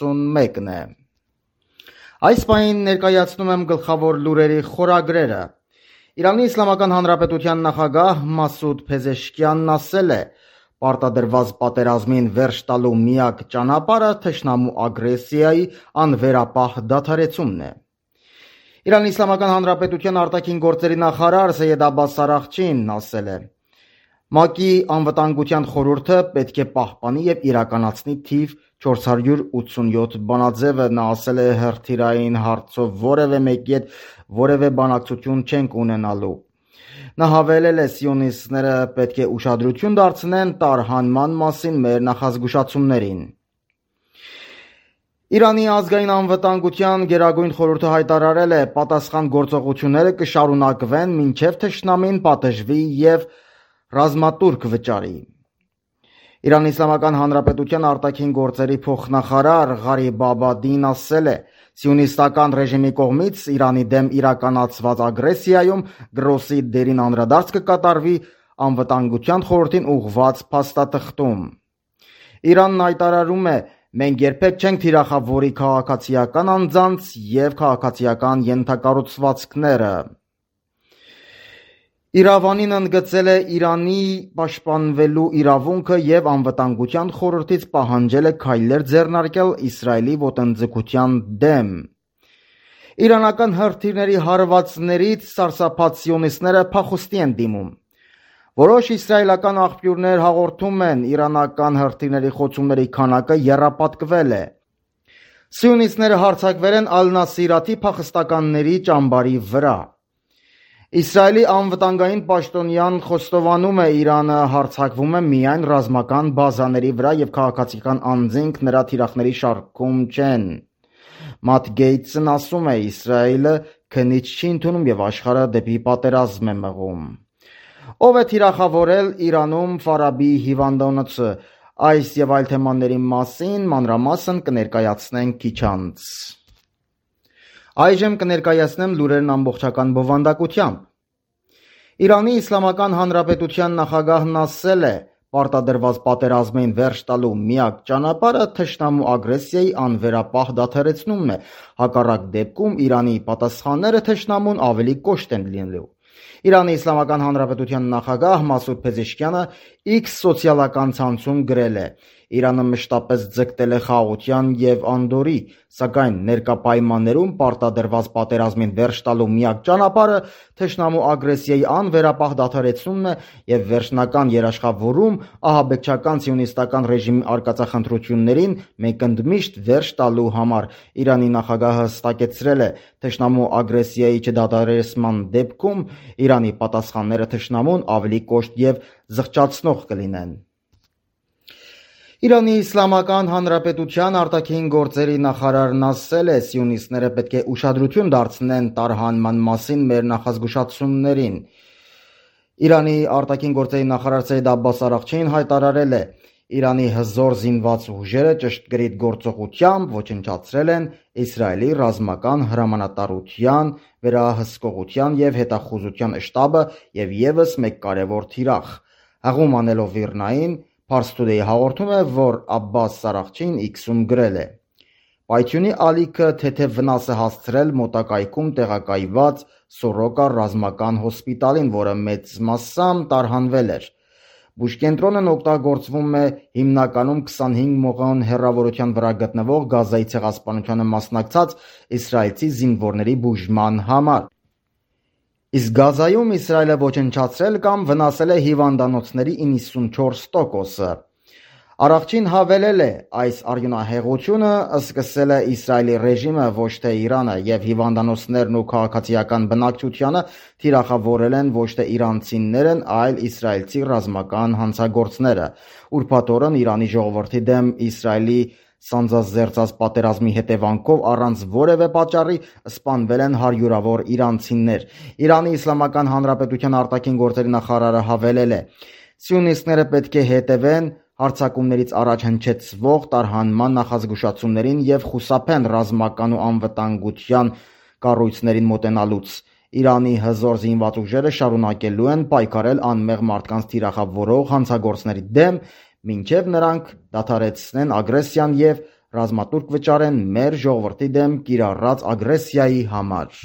41-ն է։ Այս պահին ներկայացնում եմ գլխավոր լուրերի խորագրերը։ Իրանի Իսլամական Հանրապետության նախագահ Մասուդ Փեզեշքյանն ասել է. «Պարտադրված պատերազմին վերջ տալու միակ ճանապարհը թշնամու ագրեսիայի անվերապահ դադարեցումն է»։ Իրանի Իսլամական Հանրապետության արտաքին գործերի նախարար Սեյեդ Աբբաս Արաղչին ասել է. «ՄԱԿ-ի անվտանգության խորհուրդը պետք է պահպանի և իրականացնի թիվ 487 բանաձևը»։ Նա ասել է հրթիռային հարցով որևէ մեկի հետ որևէ բանակցություն չենք ունենալու։ Նա հավելել է. «Սիոնիստները պետք է ուշադրություն դարձնեն տարհանման մասին մեր նախազգուշացումներին»։ Իրանի ազգային անվտանգության գերագույն խորհուրդը հայտարարել է. «Պատասխան գործողությունները կշարունակվեն մինչև թշնամին պատժվի և ռազմատուրք վճարի»։ Իրանի Իսլամական Հանրապետության արտաքին գործերի փոխնախարար Ղարիբ Աբադին ասել է. «Սիոնիստական ռեժիմի կողմից Իրանի դեմ իրականացված ագրեսիայում գրոսի դերին անդրադարձ կկատարվի Անվտանգության խորհրդին ուղղված փաստաթղթում»։ Իրանն հայտարարում է. «Մենք երբեք չենք թիրախավորի քաղաքացիական անձանց և քաղաքացիական ենթակառուցվածքները»։ Իրավանին ընդգծել է Իրանի պաշտպանվելու իրավունքը և Անվտանգության խորհրդից պահանջել է քայլեր ձեռնարկել Իսրայելի ոտնձգության դեմ։ Իրանական հրթիռների հարվածներից սարսափած սիոնիստները փախուստի են դիմում։ Որոշ իսրայելական աղբյուրներ հաղորդում են, իրանական հրթիռների խոցումների քանակը եռապատկվել է։ Սիոնիստները հարձակվել են Ալ-Նասիրաթի փախստականների ճամբարի վրա։ Իսրայելի անվտանգային պաշտոնյան խոստովանում է. «Իրանը հարձակվում է միայն ռազմական բազաների վրա և քաղաքացիական անձինք նրա թիրախների շարքում չեն»։ Մաթ Գեյթսն ասում է. «Իսրայելը քննիչ չի ընդունում և աշխարհը դեպի պատերազմ է մղում»։ Ով է թիրախավորել Իրանում Ֆարաբիի հիվանդանոցը։ Այս և այլ թեմաների մասին մանրամասն կներկայացնենք քիչ անց։ Այժմ կներկայացնեմ լուրերն ամբողջական բովանդակությամբ։ Իրանի Իսլամական Հանրապետության նախագահն ասել է. «Պարտադրված պատերազմին վերջ տալու միակ ճանապարհը թշնամու ագրեսիայի անվերապահ դադարեցումն է, հակառակ դեպքում Իրանի պատասխանները թշնամուն ավելի կոշտ են լինելու»։ Իրանի Իսլամական Հանրապետության նախագահ Մասուդ Փեզեշքյանը X սոցիալական ցանցում գրել է. «Իրանը մշտապես ձգտել է խաղաղության և անդորրի, սակայն ներկա պայմաններում պարտադրված պատերազմին վերջ տալու միակ ճանապարհը թշնամու ագրեսիայի անվերապահ դադարեցումն է և վերջնական երաշխավորում ահաբեկչական սիոնիստական ռեժիմի արկածախնդրություններին մենք ընդմիշտ վերջ տալու համար»։ Իրանի նախագահը հստակեցրել է. «Թշնամու ագրեսիայի չդադարեցման դեպքում Իրանի պատասխանները թշնամուն ավելի կոշտ և զղջացնող կլինեն»։ Իրանի Իսլամական Հանրապետության արտաքին գործերի նախարարն ասել է. «Սիոնիստները պետք է ուշադրություն դարձնեն տարհանման մասին մեր նախազգուշացումներին»։ Իրանի արտաքին գործերի նախարար Սեյեդ Աբբաս Արաղչին հայտարարել է. «Իրանի հզոր զինված ուժերը ճշգրիտ գործողությամբ ոչնչացրել են Իսրայելի ռազմական հրամանատարության վերահսկողության և հետախուզության շտաբը և ևս մեկ կարևոր թիրախ»։ Հղում անելով ԻՌՆԱ-ին, Pars Today հաղորդում է, որ Աբբաս Արաղչին X-ում գրել է. «Պայթյունի ալիքը թեթև վնաս է հասցրել մոտակայքում տեղակայված Սորոկա ռազմական հոսպիտալին, որը մեծ մասամբ տարհանվել էր։ Բուժկենտրոնն օգտագործվում է հիմնականում 25 մղոն հեռավորության վրա գտնվող Գազայի ցեղասպանությանը մասնակցած իսրայելցի զինվորների բուժման համար։ Իսկ Գազայում Իսրայելը ոչնչացրել կամ վնասել է հիվանդանոցների 94%-ը»։ Արաղչին հավելել է. «Այս արյունահեղությունը սկսել է Իսրայելի ռեժիմը, ոչ թե Իրանը, և հիվանդանոցներն ու քաղաքացիական բնակչությանը թիրախավորել են ոչ թե իրանցիներն, այլ իսրայելցի ռազմական հանցագործները»։ Ուրբաթ օրն Իրանի ժողովրդի դեմ Իսրայելի սանձազերծած պատերազմի հետևանքով առանց որևէ պատճառի սպանվել են հարյուրավոր իրանցիներ։ Իրանի Իսլամական Հանրապետության արտաքին գործերի նախարարը հավելել է. «Սիոնիստները պետք է հետևեն հարձակումներից առաջ հնչեցվող տարհանման նախազգուշացումներին և խուսափեն ռազմական ու անվտանգության կառույցներին մոտենալուց։ Իրանի հզոր զինված ուժերը շարունակելու են պայքարել անմեղ մարդկանց թիրախավորող հանցագործների դեմ, մինչև նրանք դադարեցնեն ագրեսիան և ռազմատուրք վճարեն մեր ժողովրդի դեմ կիրառած ագրեսիայի համար։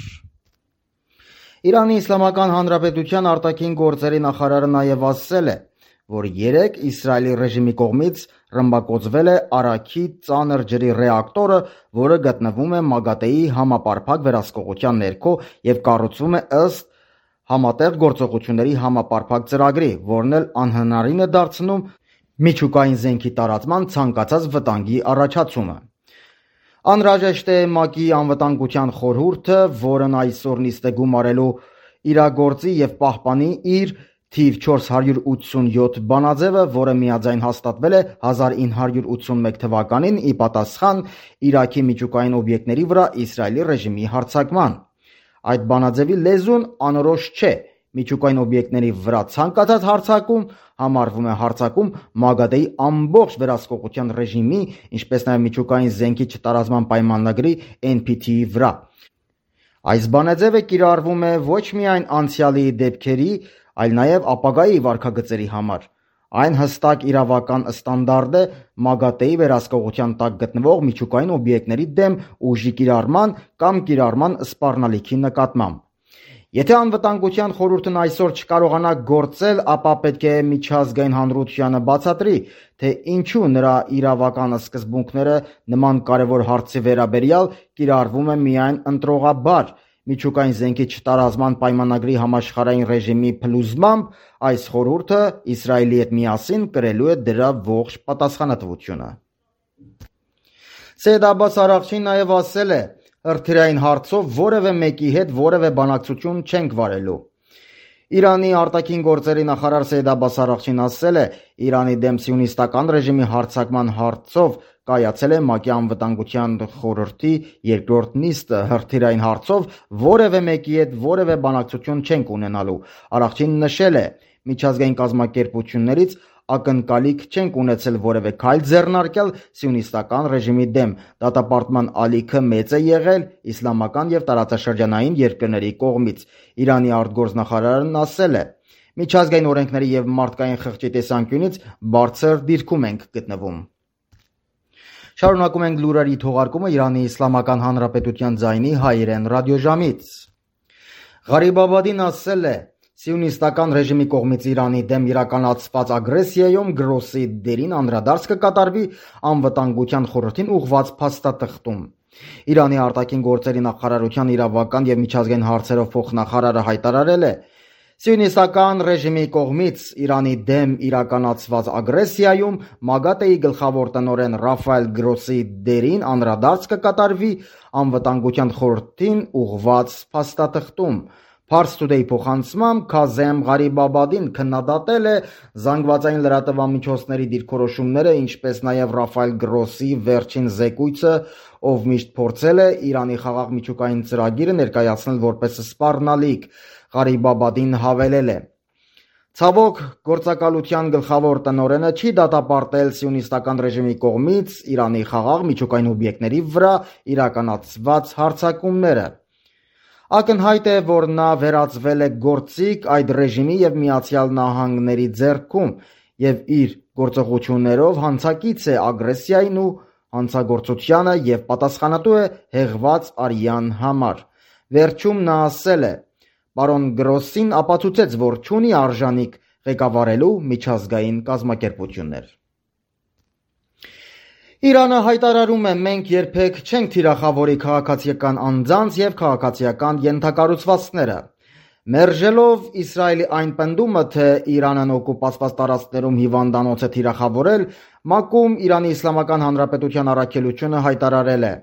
Իրանի Իսլամական Հանրապետության արտաքին գործերի նախարարը նաև ասել է, որ երեկ Իսրայելի ռեժիմի կողմից ռմբակոծվել է Արաքի ծանր ջրի ռեակտորը, որը գտնվում է ՄԱԳԱՏԵ-ի համապարփակ վերահսկողության ներքո եւ կառուցվում է ըստ համատեղ գործողությունների համապարփակ ծրագրի, որն էլ անհնարին է դարձնում միջուկային զենքի տարածման ցանկացած վտանգի առաջացումը։ Անհրաժեշտ է ՄԱԿ-ի անվտանգության խորհուրդը, որն այսօր նիստ է գումարելու, իրագործի եւ պահպանի իր թիվ 487 բանաձևը, որը միաձայն հաստատվել է 1981 թվականին ի պատասխան Իրաքի միջուկային օբյեկտների վրա Իսրայելի ռեժիմի հարձակման։ Այդ բանաձևի լեզուն անորոշ չէ։ Միջուկային օբյեկտների վրա ցանկացած հարձակում համարվում է հարձակում ՄԱԳԱՏԵ-ի ամբողջ վերահսկողության ռեժիմի, ինչպես նաև միջուկային զենքի չտարածման պայմանագրի NPT-ի վրա։ Այս բանաձևը կիրառվում է ոչ միայն անցյալի դեպքերի, այլ նաև ապագայի վարքագծերի համար։ Այն հստակ իրավական ստանդարտ է ՄԱԳԱՏԵ-ի վերահսկողության տակ գտնվող միջուկային օբյեկտների դեմ ուժի կիրառման կամ կիրառման սպառնալիքի նկատմամբ։ Եթե անվտանգության խորհուրդն այսօր չկարողանա գործել, ապա պետք է միջազգային հանրությանը բացատրի, թե ինչու նրա իրավական սկզբունքները նման կարևոր հարցի վերաբերյալ կիրառվում է միայն ընտրողաբար։ Միջուկային զենքի չտարածման պայմանագրի համաշխարհային ռեժիմի փլուզմամբ այս խորհուրդը Իսրայելի հետ միասին կրելու է դրա ողջ պատասխանատվությունը։ Սեյեդ Աբբաս Արաղչին նաև ասել է, հրթիռային հարցով որևէ մեկի հետ որևէ բանակցություն չենք վարելու։ Իրանի արտաքին գործերի նախարար Սեյեդ Աբբաս Արաղչին ասել է, Իրանի դեմ սիոնիստական ռեժիմի հարձակման հարցով կայացել է ՄԱԿ-ի անվտանգության խորհրդի երկրորդ նիստը, հրթիռային հարցով որևէ մեկի հետ որևէ բանակցություն չենք ունենալու։ Արաղչին նշել է, միջազգային կազմակերպություններից ակնկալիք չենք ունեցել որևէ քայլ ձեռնարկել սիոնիստական ռեժիմի դեմ։ Դատապարտման ալիքը մեծ է եղել իսլամական եւ տարածաշրջանային երկրների կողմից։ Իրանի արտգործնախարարն ասել է. Միջազգային օրենքների եւ մարդկային խղճի տեսանկյունից բարձր դիրքում ենք գտնվում։ Շարունակում ենք լուրերի թողարկումը Իրանի Իսլամական Հանրապետության ձայնի հայերեն ռադիոժամից։ Ղարիբ Աբադին ասել է. Սիոնիստական ռեժիմի կողմից Իրանի դեմ իրականացված ագրեսիայում գրոսի դերին անդրադարձ կկատարվի անվտանգության խորհրդին ուղղված փաստաթղթում։ Իրանի արտաքին գործերի նախարարության իրավական եւ միջազգային հարցերով փոխնախարարը հայտարարել է. Սիոնիստական ռեժիմի կողմից Իրանի դեմ իրականացված ագրեսիայում ՄԱԳԱՏԵ-ի գլխավոր տնօրեն Ռաֆայել Գրոսի դերին անդրադարձ կկատարվի անվտանգության խորհրդին ուղղված փաստաթղթում։ Pars Today փոխանցմամբ Քազեմ Ղարիբ Աբադին քննադատել է զանգվածային լրատվամիջոցների դիրքորոշումները, ինչպես նաև Ռաֆայել Գրոսի վերջին զեկույցը, ով միշտ փորձել է Իրանի խաղաղ միջուկային ծրագիրը ներկայացնել որպես սպառնալիք։ Ղարիբ Աբադին հավելել է. Ցավոք, գործակալության գլխավոր տնօրենը չի դատապարտել սիոնիստական ռեժիմի կողմից Իրանի խաղաղ միջուկային օբյեկտների վրա իրականացված հարձակումները։ Ակնհայտ է, որ նա վերածվել է գործիք այդ ռեժիմի եւ Միացյալ Նահանգների ձեռքում եւ իր գործողություններով հանցակից է ագրեսիային ու հանցագործությանը եւ պատասխանատու է հեղված արյան համար։ Վերջում նա ասել է. Պարոն Գրոսին ապացուցեց, որ չունի արժանիք ղեկավարելու միջազգային կազմակերպություններ։ Իրանը հայտարարում է, մենք երբեք չենք թիրախավորի քաղաքացիական անձանց եւ քաղաքացիական ենթակառուցվածքները։ Մերժելով Իսրայելի այն պնդումը, թե Իրանն օկուպացված տարածքներում հիվանդանոց է թիրախավորել, ՄԱԿ-ում Իրանի Իսլամական Հանրապետության առաքելությունը հայտարարել է.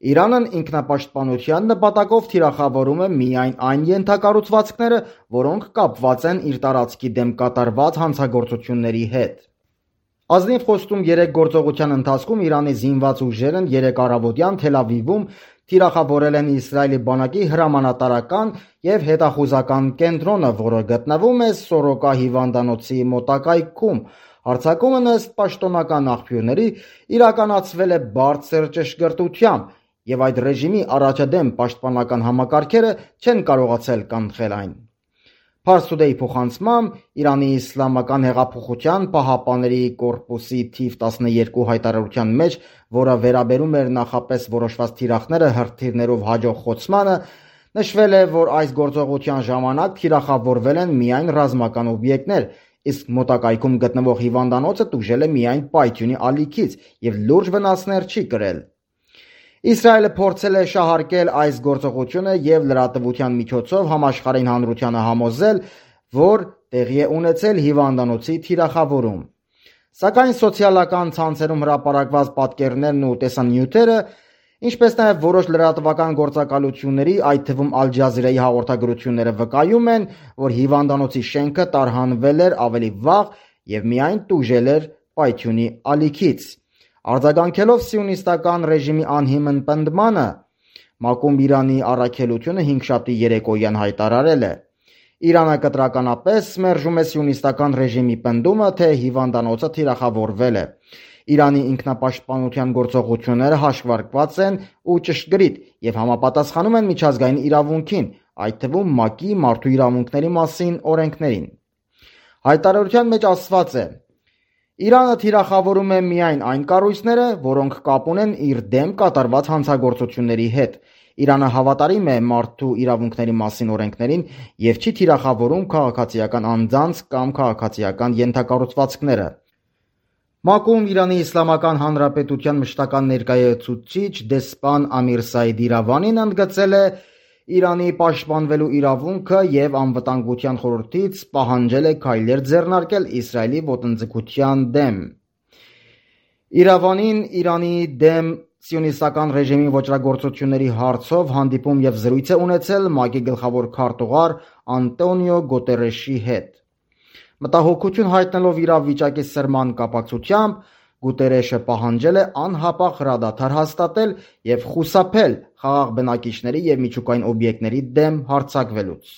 Իրանն ինքնապաշտպանության նպատակով թիրախավորում է միայն այն ենթակառուցվածքները, որոնք կապված են իր տարածքի դեմ կատարված հանցագործությունների հետ։ Ազնիվ խոստում 3 գործողության ընթացքում Իրանի զինված ուժերն 3 առավոտյան Թել Ավիվում թիրախավորել են Իսրայելի բանակի հրամանատարական եւ հետախուզական կենտրոնը, որը գտնվում է Սորոկա հիվանդանոցի մոտակայքում։ Հարձակումն ըստ պաշտոնական աղբյուրների իրականացվել է բարձր ճշգրտությամբ եւ այդ ռեժիմի առաջադեմ պաշտպանական համակարգերը չեն կարողացել կանխել այն։ Fars Today-ի փոխանցմամբ Իրանի Իսլամական հեղափոխության պահապանների կորպուսի թիվ 12 հայտարարության մեջ, որը վերաբերում էր նախապես որոշված թիրախները հրթիռներով հաջող խոցմանը, նշվել է, որ այս գործողության ժամանակ թիրախավորվել են միայն ռազմական օբյեկտներ, իսկ մոտակայքում գտնվող հիվանդանոցը տուժել է միայն պայթյունի ալիքից եւ լուրջ վնասներ չի կրել։ Իսրայելը փորձել է շահարկել այս գործողությունը եւ լրատվության միջոցով համաշխարհային հանրությանը համոզել, որ տեղի է ունեցել հիվանդանոցի թիրախավորում։ Սակայն սոցիալական ցանցերում հրապարակված պատկերներն ու տեսանյութերը, ինչպես նաև որոշ լրատվական գործակալությունների, այդ թվում Ալ Ջազիրայի հաղորդագրությունները վկայում են, որ հիվանդանոցի շենքը տարհանվել էր ավելի վաղ եւ միայն տուժել էր պայթյունի ալիքից։ Արձագանքելով սիոնիստական ռեժիմի անհիմն պնդմանը, ՄԱԿ-ում Իրանի առաքելությունը հինգշաբթի երեկոյան հայտարարել է. Իրանը կտրականապես մերժում է սիոնիստական ռեժիմի պնդումը, թե հիվանդանոցը թիրախավորվել է։ Իրանի ինքնապաշտպանության գործողությունները հաշվարկված են ու ճշգրիտ եւ համապատասխանում են միջազգային իրավունքին, այդ թվում ՄԱԿ-ի մարդու իրավունքների մասին օրենքներին։ Հայտարարության մեջ ասված է. Իրանը թիրախավորում է միայն այն կառույցները, որոնք կապ ունեն իր դեմ կատարված հանցագործությունների հետ։ Իրանը հավատարիմ է մարդու իրավունքների մասին օրենքներին եւ չի թիրախավորում քաղաքացիական անձանց կամ քաղաքացիական ենթակառուցվածքները։ ՄԱԿ-ում Իրանի Իսլամական Հանրապետության մշտական ներկայացուցիչ դեսպան Ամիր Սայիդ Իրավանին ընդգծել է Իրանի պաշտպանվելու իրավունքը եւ անվտանգության խորհրդից պահանջել է քայլեր ձեռնարկել Իսրայելի ոտնձգության դեմ։ Իրավանին Իրանի դեմ սիոնիստական ռեժիմի ոճրագործությունների հարցով հանդիպում եւ զրույց է ունեցել ՄԱԿ-ի գլխավոր քարտուղար Անտոնիո Գուտերեշի հետ։ Մտահոգություն հայտնելով իրավիճակի սրման կապակցությամբ Գուտերեշը պահանջել է անհապաղ հրադադար հաստատել եւ խուսափել խաղաղ բնակիչների եւ միջուկային օբյեկտների դեմ հարձակվելուց։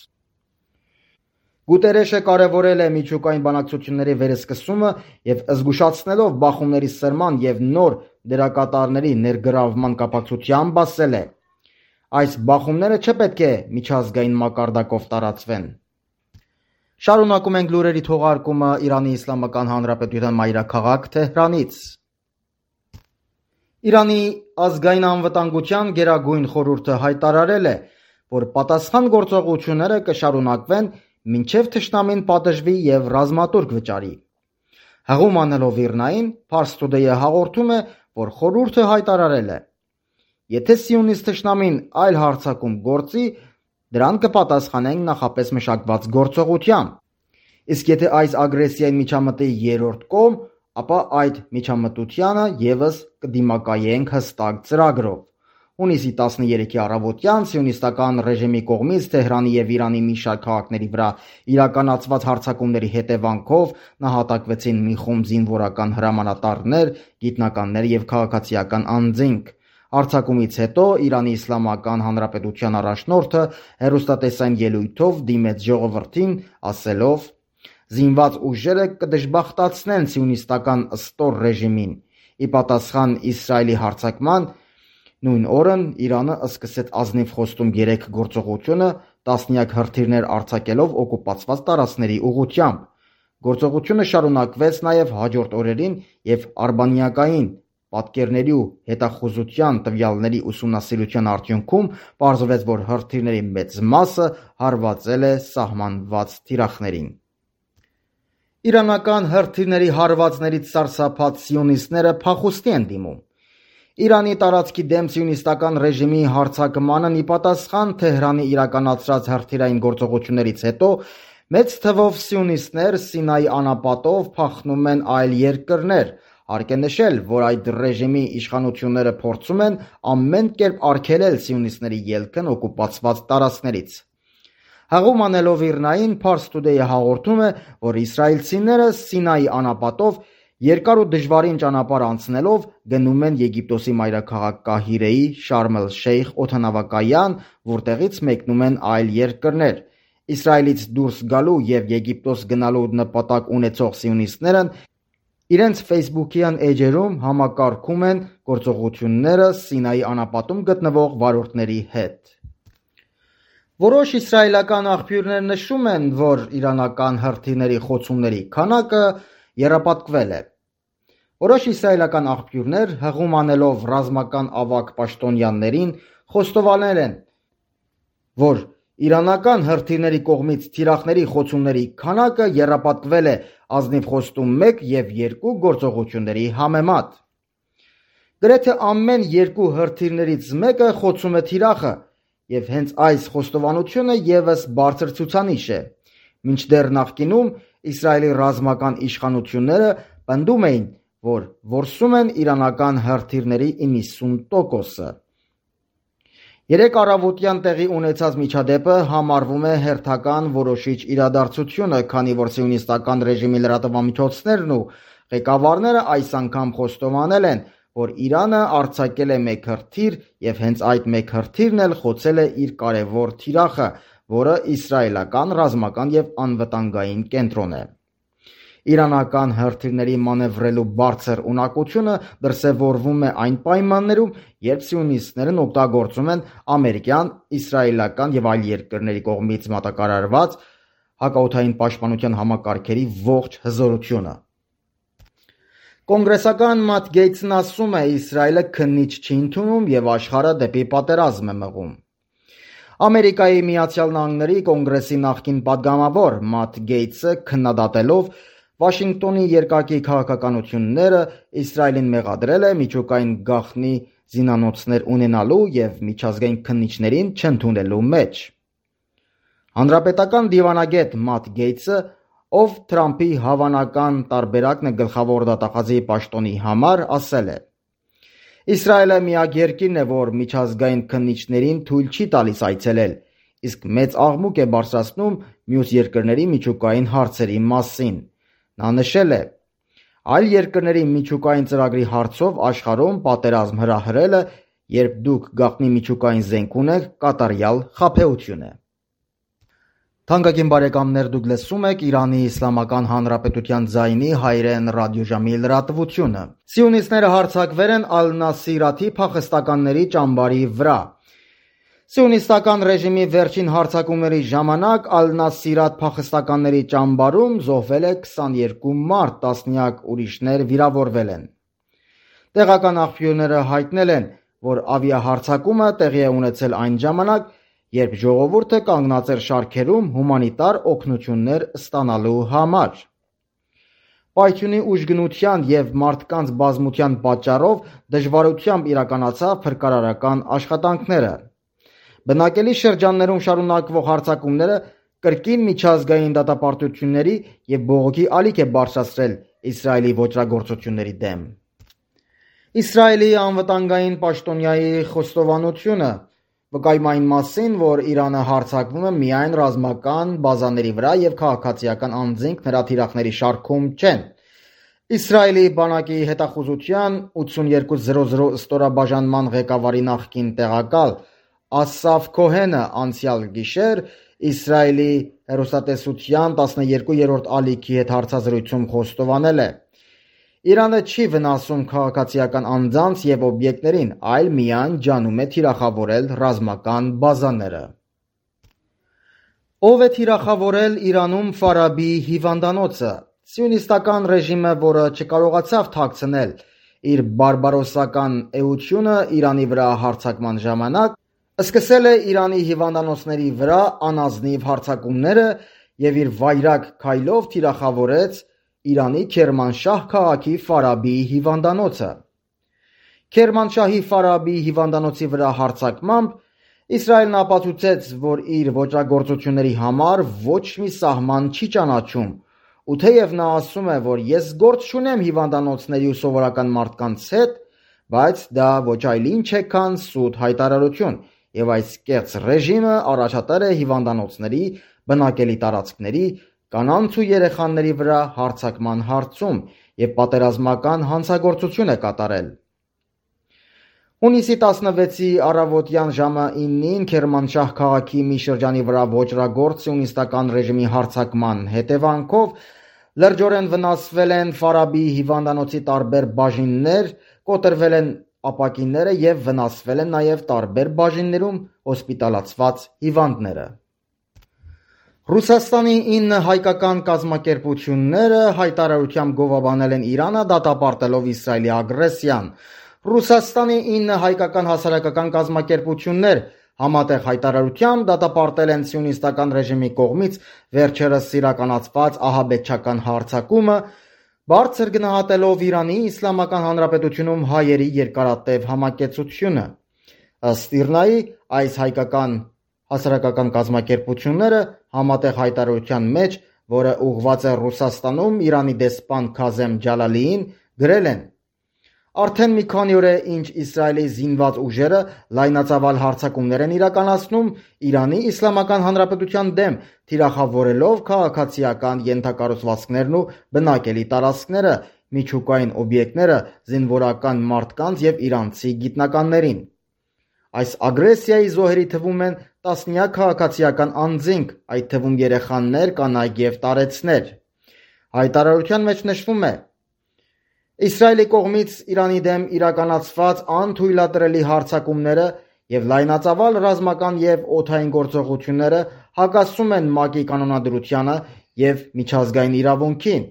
Գուտերեշը կարևորել է միջուկային բանակցությունների վերսկսումը եւ զգուշացնելով բախումների սրման եւ նոր դերակատարների ներգրավման կապակցությամբ ասել է. Այս բախումները չպետք է միջազգային մակարդակով տարածվեն։ Շարունակում ենք լուրերի թողարկումը Իրանի Իսլամական Հանրապետության մայրաքաղաք Թեհրանից։ Իրանի ազգային անվտանգության գերագույն խորհուրդը հայտարարել է, որ պատասխան գործողությունները կշարունակվեն մինչև թշնամին պատժվի եւ ռազմատուրք վճարի։ Հղում անելով Իրնային, Fars Today-ը հաղորդում է, որ խորհուրդը հայտարարել է. Եթե սիոնիստ թշնամին այլ հարձակում գործի, դրան կպատասխանենք նախապես մշակված գործողությամբ։ Իսկ եթե այս ագրեսիային միջամտի երրորդ կողմ, ապա այդ միջամտությանը եւս կդիմակայենք հստակ ծրագրով։ Հունիսի 13-ի առավոտյան սիոնիստական ռեժիմի կողմից Թեհրանի եւ Իրանի մի շարք քաղաքների վրա իրականացված հարձակումների հետևանքով նահատակվեցին մի խումբ զինվորական հրամանատարներ, գիտնականներ եւ քաղաքացիական անձինք։ Արձակումից հետո Իրանի Իսլամական Հանրապետության առաջնորդը հեռուստատեսային ելույթով դիմեց ժողովրդին, ասելով. Զինված ուժերը կդժբախտացնեն սիոնիստական ստոր ռեժիմին։ Ի պատասխան Իսրայելի հարձակման նույն օրն Իրանը սկսեց ազնիվ խոստում 3 գործողությունը, տասնյակ հրթիռներ արձակելով օկուպացված տարածքների ուղղությամբ։ Գործողությունը շարունակվեց նաև հաջորդ օրերին եւ արբանյակային պատկերների ու հետախուզության տվյալների ուսումնասիրության արդյունքում պարզվեց, որ հրթիռների մեծ մասը հարվածել է սահմանված թիրախներին։ Իրանական հրթիռների հարվածներից սարսափած սիոնիստները փախուստի են դիմում։ Իրանի տարածքի դեմ սիոնիստական ռեժիմի հարձակմանն ի պատասխան Թեհրանի իրականացրած հրթիռային գործողություններից հետո մեծ թվով սիոնիստներ Սինայի անապատով փախնում են այլ երկրներ։ Հարկ է նշել, որ այդ ռեժիմի իշխանությունները փորձում են ամեն կերպ արգելել սիոնիստների ելքն օկուպացված տարածքներից։ Հղում անելով Իրնային, Fars Today-ը հաղորդում է, որ իսրայելցիները Սինայի անապատով երկար ու դժվարին ճանապարհ անցնելով գնում են Եգիպտոսի մայրաքաղաք Կահիրեի Շարմ էլ-Շեյխ օդանավակայան, որտեղից մեկնում են այլ երկրներ։ Իսրայելից դուրս գալու եւ Եգիպտոս գնալու նպատակ ունեցող սիոնիստները իրենց Facebook-յան էջերում համակարգում են գործողությունները Սինայի անապատում գտնվող վարորդների հետ։ Որոշ իսրայելական աղբյուրներ նշում են, որ իրանական հրթիռների խոցումների քանակը եռապատկվել է։ Որոշ իսրայելական աղբյուրներ հղում անելով ռազմական ավագ պաշտոնյաներին խոստովանել են, որ իրանական հրթիռների կողմից թիրախների խոցումների քանակը եռապատկվել է ազնիվ խոստում 1 և 2 գործողությունների համեմատ։ Գրեթե ամեն 2 հրթիռներից մեկը խոցում է թիրախը, և հենց այս խոստովանությունը ևս բարձր ցուցանիշ է, մինչդեռ նախկինում Իսրայելի ռազմական իշխանությունները պնդում էին, որ որսում են իրանական հրթիռների 90%-ը։ Երեկ առավոտյան տեղի ունեցած միջադեպը համարվում է հերթական որոշիչ իրադարձությունը, քանի որ սիոնիստական ռեժիմի լրատվամիջոցներն ու ղեկավարները այս անգամ խոստովանել են, որ Իրանը արձակել է մեկ հրթիռ և հենց այդ մեկ հրթիռն էլ խոցել է իր կարևոր թիրախը, որը իսրայելական ռազմական և անվտանգային կենտրոն է։ Իրանական հրթիռների մանևրելու բարձր ունակությունը դրսևորվում է այն պայմաններում, երբ սիոնիստներն օգտագործում են ամերիկյան, իսրայելական և այլ երկրների կողմից մատակարարված հակաօդային պաշտպանության համակարգերի ողջ հզորությունը։ Կոնգրեսական Մաթ Գեյթսն ասում է, Իսրայելը քննիչ չի ընդունում և աշխարհը դեպի պատերազմ է մղում։ Ամերիկայի Միացյալ Նահանգների կոնգրեսի նախկին պատգամավոր Մաթ Գեյթսը քննադատելով Վաշինգտոնի երկակի քաղաքականությունները Իսրայելին մեղադրել է միջուկային գաղտնի զինանոցներ ունենալու և միջազգային քննիչներին չընդունելու մեջ։ Հանրապետական դիվանագետ Մաթ Գեյթսը, ով Թրամփի հավանական տարբերակն է գլխավոր դատախազի պաշտոնի համար, ասել է. Իսրայելը միակ երկիրն է, որ միջազգային քննիչներին թույլ չի տալիս այցելել, իսկ մեծ աղմուկ է բարձրացնում մյուս երկրների միջուկային հարցերի մասին։ Նա նշել է. այլ երկրների միջուկային ծրագրի հարցով աշխարհում պատերազմ հրահրելը, երբ դուք գաղտնի միջուկային զենք ունեք, կատարյալ խաբեություն է։ Թանկագին բարեկամներ, դուք լսում եք Իրանի Իսլամական Հանրապետության ձայնի հայերեն ռադիոժամի լրատվությունը։ Սիոնիստները հարձակվել են Ալ-Նասիրաթի փախստականների ճամբարի վրա։ Սիոնիստական ռեժիմի վերջին հարձակումների ժամանակ Ալ-Նասիրաթ փախստականների ճամբարում զոհվել է 22 մարդ, տասնյակ ուրիշներ վիրավորվել են։ Տեղական աղբյուրները հայտնել են, որ ավիահարձակումը տեղի է ունեցել այն ժամանակ, երբ ժողովուրդը կանգնած էր շարքերում հումանիտար օգնություններ ստանալու համար։ Պայթյունի ուժգնության և մարդկանց բազմության պատճառով դժվարությամբ իրականացավ փրկարարական աշխատանքները։ Բնակելի շրջաններում շարունակվող հարձակումները կրկին միջազգային դատապարտությունների և բողոքի ալիք է բարձրացրել Իսրայելի ոճրագործությունների դեմ։ Իսրայելի անվտանգային պաշտոնյայի խոստովանությունը վկայում այն մասին, որ Իրանը հարձակվում է միայն ռազմական բազաների վրա և քաղաքացիական անձինք նրա թիրախների շարքում չեն։ Իսրայելի բանակի հետախուզության 8200 ստորաբաժանման ղեկավարի նախկին տեղակալ Ասաֆ Քոհենը անցյալ գիշեր Իսրայելի հեռուստատեսության 12-րդ ալիքի հետ հարցազրույցում խոստովանել է. Իրանը չի վնասում քաղաքացիական անձանց և օբյեկտներին, այլ միայն ջանում է թիրախավորել ռազմական բազաները։ Ով է թիրախավորել Իրանում Ֆարաբի հիվանդանոցը։ Սիոնիստական ռեժիմը, որը չկարողացավ թաքցնել իր բարբարոսական էությունը Իրանի վրա հարձակման ժամանակ, սկսել է Իրանի հիվանդանոցների վրա անազնիվ հարձակումները և իր վայրագ քայլով թիրախավորեց Իրանի Քերմանշահ քաղաքի Ֆարաբի հիվանդանոցը։ Քերմանշահի Ֆարաբի հիվանդանոցի վրա հարձակմամբ Իսրայելն ապացուցեց, որ իր ոճրագործությունների համար ոչ մի սահման չի ճանաչում, ու թեև նա ասում է, որ ես գործ չունեմ հիվանդանոցների ու սովորական մարդկանց հետ, բայց դա ոչ այլ ինչ է, քան սուտ հայտարարություն, և այս կեղծ ռեժիմը առաջատար է հիվանդանոցների, բնակելի տարածքների, կանանց ու երեխաների վրա հարձակման հարցում և պատերազմական հանցագործություն է կատարել։ Հունիսի 16-ի առավոտյան ժամը 9-ին Քերմանշահ քաղաքի մի շրջանի վրա ոճրագործ սիոնիստական ռեժիմի հարձակման հետևանքով լրջորեն վնասվել են Ֆարաբի հիվանդանոցի տարբեր բաժիններ, կոտրվել են ապակիները եւ վնասվել են նաեւ տարբեր բաժիններում հոսպիտալացված հիվանդները։ Ռուսաստանի 9 հայկական կազմակերպությունները հայտարարությամբ գովաբանել են Իրանը դատապարտելով Իսրայելի ագրեսիան։ Ռուսաստանի 9 հայկական հասարակական կազմակերպություններ համատեղ հայտարարությամբ դատապարտել են սիոնիստական ռեժիմի կողմից վերջերս իրականացված ահաբեկչական հարձակումը, բարձր գնահատելով Իրանի Իսլամական Հանրապետությունում հայերի երկարատև համակեցությունը։ Ըստ Իրնայի, այս հայկական հասարակական կազմակերպությունները համատեղ հայտարարության մեջ, որը ուղղված է Ռուսաստանում Իրանի դեսպան Քազեմ Ջալալիին, գրել են. Արդեն մի քանի օր է, ինչ Իսրայելի զինված ուժերը լայնածավալ հարձակումներ են իրականացնում Իրանի Իսլամական Հանրապետության դեմ, թիրախավորելով քաղաքացիական ենթակառուցվածքներն ու բնակելի տարածքները, միջուկային օբյեկտները, զինվորական մարդկանց եւ իրանցի գիտնականներին։ Այս ագրեսիայի զոհերի թվում են տասնյակ քաղաքացիական անձինք, այդ թվում երեխաներ, կանայք եւ տարեցներ։ Հայտարարության մեջ նշվում է. Իսրայելի կողմից Իրանի դեմ իրականացված անթույլատրելի հարձակումները եւ լայնածավալ ռազմական եւ օդային գործողությունները հակասում են ՄԱԿ-ի կանոնադրությանը եւ միջազգային իրավունքին,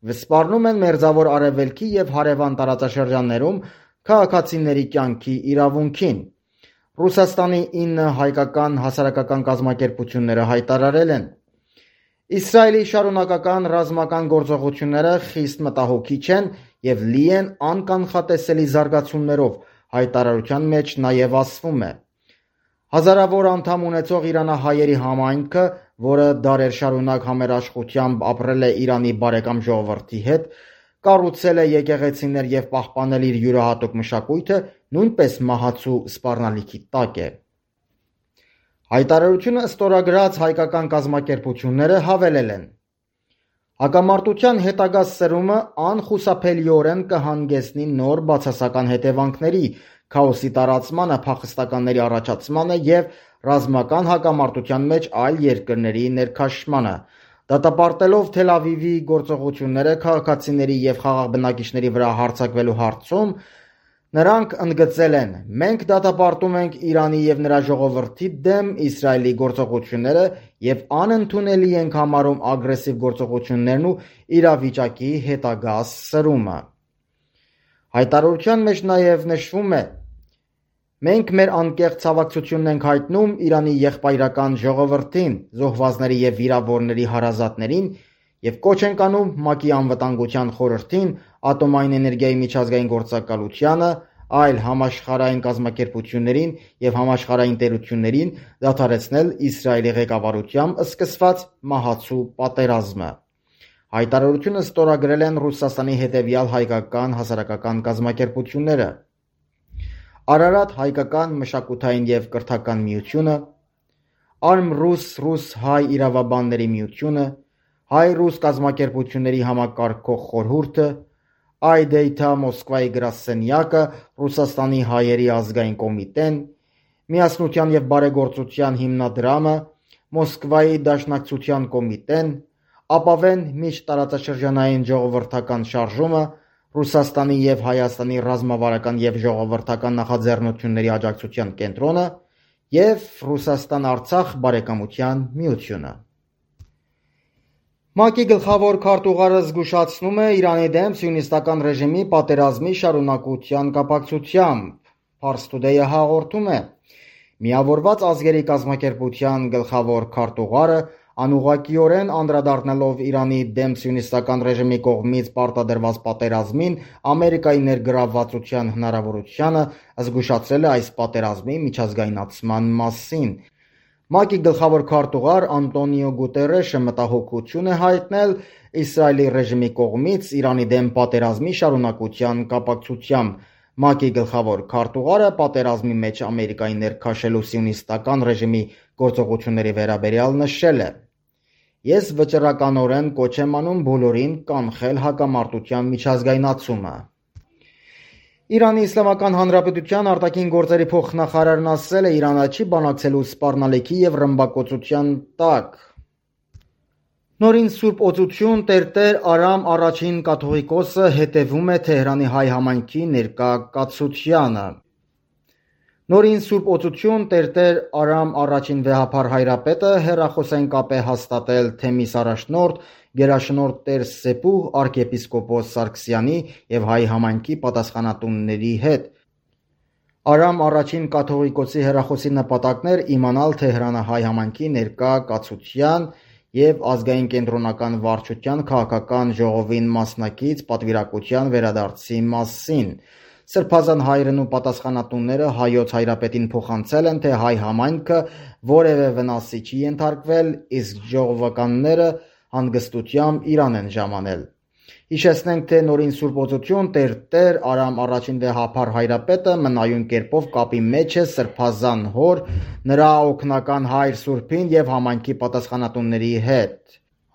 վսպառնում են Մերձավոր Արևելքի եւ հարևան տարածաշրջաններում քաղաքացիների կյանքի իրավունքին։ Ռուսաստանի 9 հայկական հասարակական կազմակերպությունները հայտարարել են. Իսրայելի շարունակական ռազմական գործողությունները խիստ մտահոգիչ են եւ լի են անկանխատեսելի զարգացումներով, հայտարարության մեջ նաեւ ասվում է. Հազարավոր անդամ ունեցող իրանահայերի համայնքը, որը դարեր շարունակ համերաշխությամբ ապրել է Իրանի բարեկամ ժողովրդի հետ, կառուցել է եկեղեցիներ եւ պահպանել իր յուրահատուկ մշակույթը, նույնպես մահացու սպառնալիքի տակ է։ Հայտարարությունը ստորագրած հայկական կազմակերպությունները հավելել են. Հակամարտության հետագա սրումը անխուսափելիորեն կհանգեցնի նոր բացասական հետևանքների, քաոսի տարածմանը, փախստականների առաջացմանը եւ ռազմական հակամարտության մեջ այլ երկրների ներքաշմանը։ Դատապարտելով Թել Ավիվի գործողությունները քաղաքացիների եւ խաղաղ բնակիչների վրա հարձակվելու հարցում, նրանք ընդգծել են. մենք դատապարտում ենք Իրանի եւ նրա ժողովրդի դեմ Իսրայելի գործողությունները եւ անընդունելի ենք համարում ագրեսիվ գործողություններն ու իրավիճակի հետագա սրումը։ Հայտարարության մեջ նաեւ նշվում է. մենք մեր անկեղծ ցավակցությունն ենք հայտնում Իրանի եղբայրական ժողովրդին, զոհվածների եւ վիրավորների հարազատներին եւ կոչ ենք անում ՄԱԿ-ի անվտանգության խորհրդին, ատոմային էներգիայի միջազգային գործակալությանը, այլ համաշխարհային կազմակերպություններին եւ համաշխարհային տերություններին դադարեցնել Իսրայելի ղեկավարությամբ սկսված մահացու պատերազմը։ Հայտարարությունը ստորագրել են Ռուսաստանի հետևյալ հայկական հասարակական կազմակերպությունները. Արարատ հայկական մշակութային եւ կրթական միությունը, Արմ-Ռուս ռուս-հայ իրավաբանների միությունը, հայ-ռուս կազմակերպությունների համակարգող խորհուրդը, Այդեյթա Մոսկվայի գրասենյակը, Ռուսաստանի հայերի ազգային կոմիտեն, Միասնության եւ բարեգործության հիմնադրամը, Մոսկվայի դաշնակցության կոմիտեն, Ապավեն միջտարածաշրջանային ժողովրդական շարժումը, Ռուսաստանի եւ Հայաստանի ռազմավարական եւ ժողովրդական նախաձեռնությունների աջակցության կենտրոնը եւ Ռուսաստան-Արցախ բարեկամության միությունը։ ՄԱԿ-ի գլխավոր քարտուղարը զգուշացնում է Իրանի դեմ սիոնիստական ռեժիմի պատերազմի շարունակության կապակցությամբ։ Pars Today-ը հաղորդում է. Միավորված ազգերի կազմակերպության գլխավոր քարտուղարը անուղղակիորեն անդրադառնալով Իրանի դեմ սիոնիստական ռեժիմի կողմից պարտադրված պատերազմին, Ամերիկայի ներգրավվածության հնարավորությանը զգուշացրել է այս պատերազմի միջազգայնացման մասին։ ՄԱԿ-ի գլխավոր քարտուղար Անտոնիո Գուտերեշը մտահոգություն է հայտնել Իսրայելի ռեժիմի կողմից Իրանի դեմ պատերազմի շարունակության կապակցությամբ։ ՄԱԿ-ի գլխավոր քարտուղարը պատերազմի մեջ Ամերիկայի ներքաշելու սիոնիստական ռեժիմի գործողությունների վերաբերյալ նշել է. Ես վճռականորեն կոչ եմ անում բոլորին կանխել հակամարտության միջազգայնացումը։ Իրանի Իսլամական Հանրապետության արտաքին գործերի փոխնախարարն ասել է Իրանը չի բանակցելու սպառնալիքի եւ ռմբակոծության տակ։ Նորին Սուրբ Օծություն Տերտեր Արամ առաջին կաթողիկոսը հետևում է Թեհրանի հայ համայնքի ներկա կացությանը։ Նորին Սուրբ Օծություն Տերտեր Արամ առաջին վեհափառ հայրապետը հեռախոսային կապ է հաստատել Թեմիս առաջնորդ գերաշնորհ Տեր Սեպուհ arczepiskopos Սարգսյանի եւ հայ համայնքի պատասխանատուների հետ։ Արամ առաջին կաթողիկոսի հեռախոսի նպատակն էր իմանալ Թեհրանի հայ համայնքի ներկա կացության եւ ազգային կենտրոնական վարչության քաղաքական ժողովին մասնակից պատվիրակության վերադարձի մասին։ Սրբազան հայրն ու պատասխանատուները հայոց հայրապետին փոխանցել են, թե հայ համայնքը որևէ վնասի չի ենթարկվել, իսկ ժողովականները հանգստությամբ Իրան են ժամանել։ Հիշեցնենք, թե նորին Սուրբ Օծություն Տերտեր Արամ առաջին վեհափառ հայրապետը մնայուն կերպով կապի մեջ է սրբազան հոր, նրա օգնական հայր Սուրբին եւ համայնքի պատասխանատուների հետ,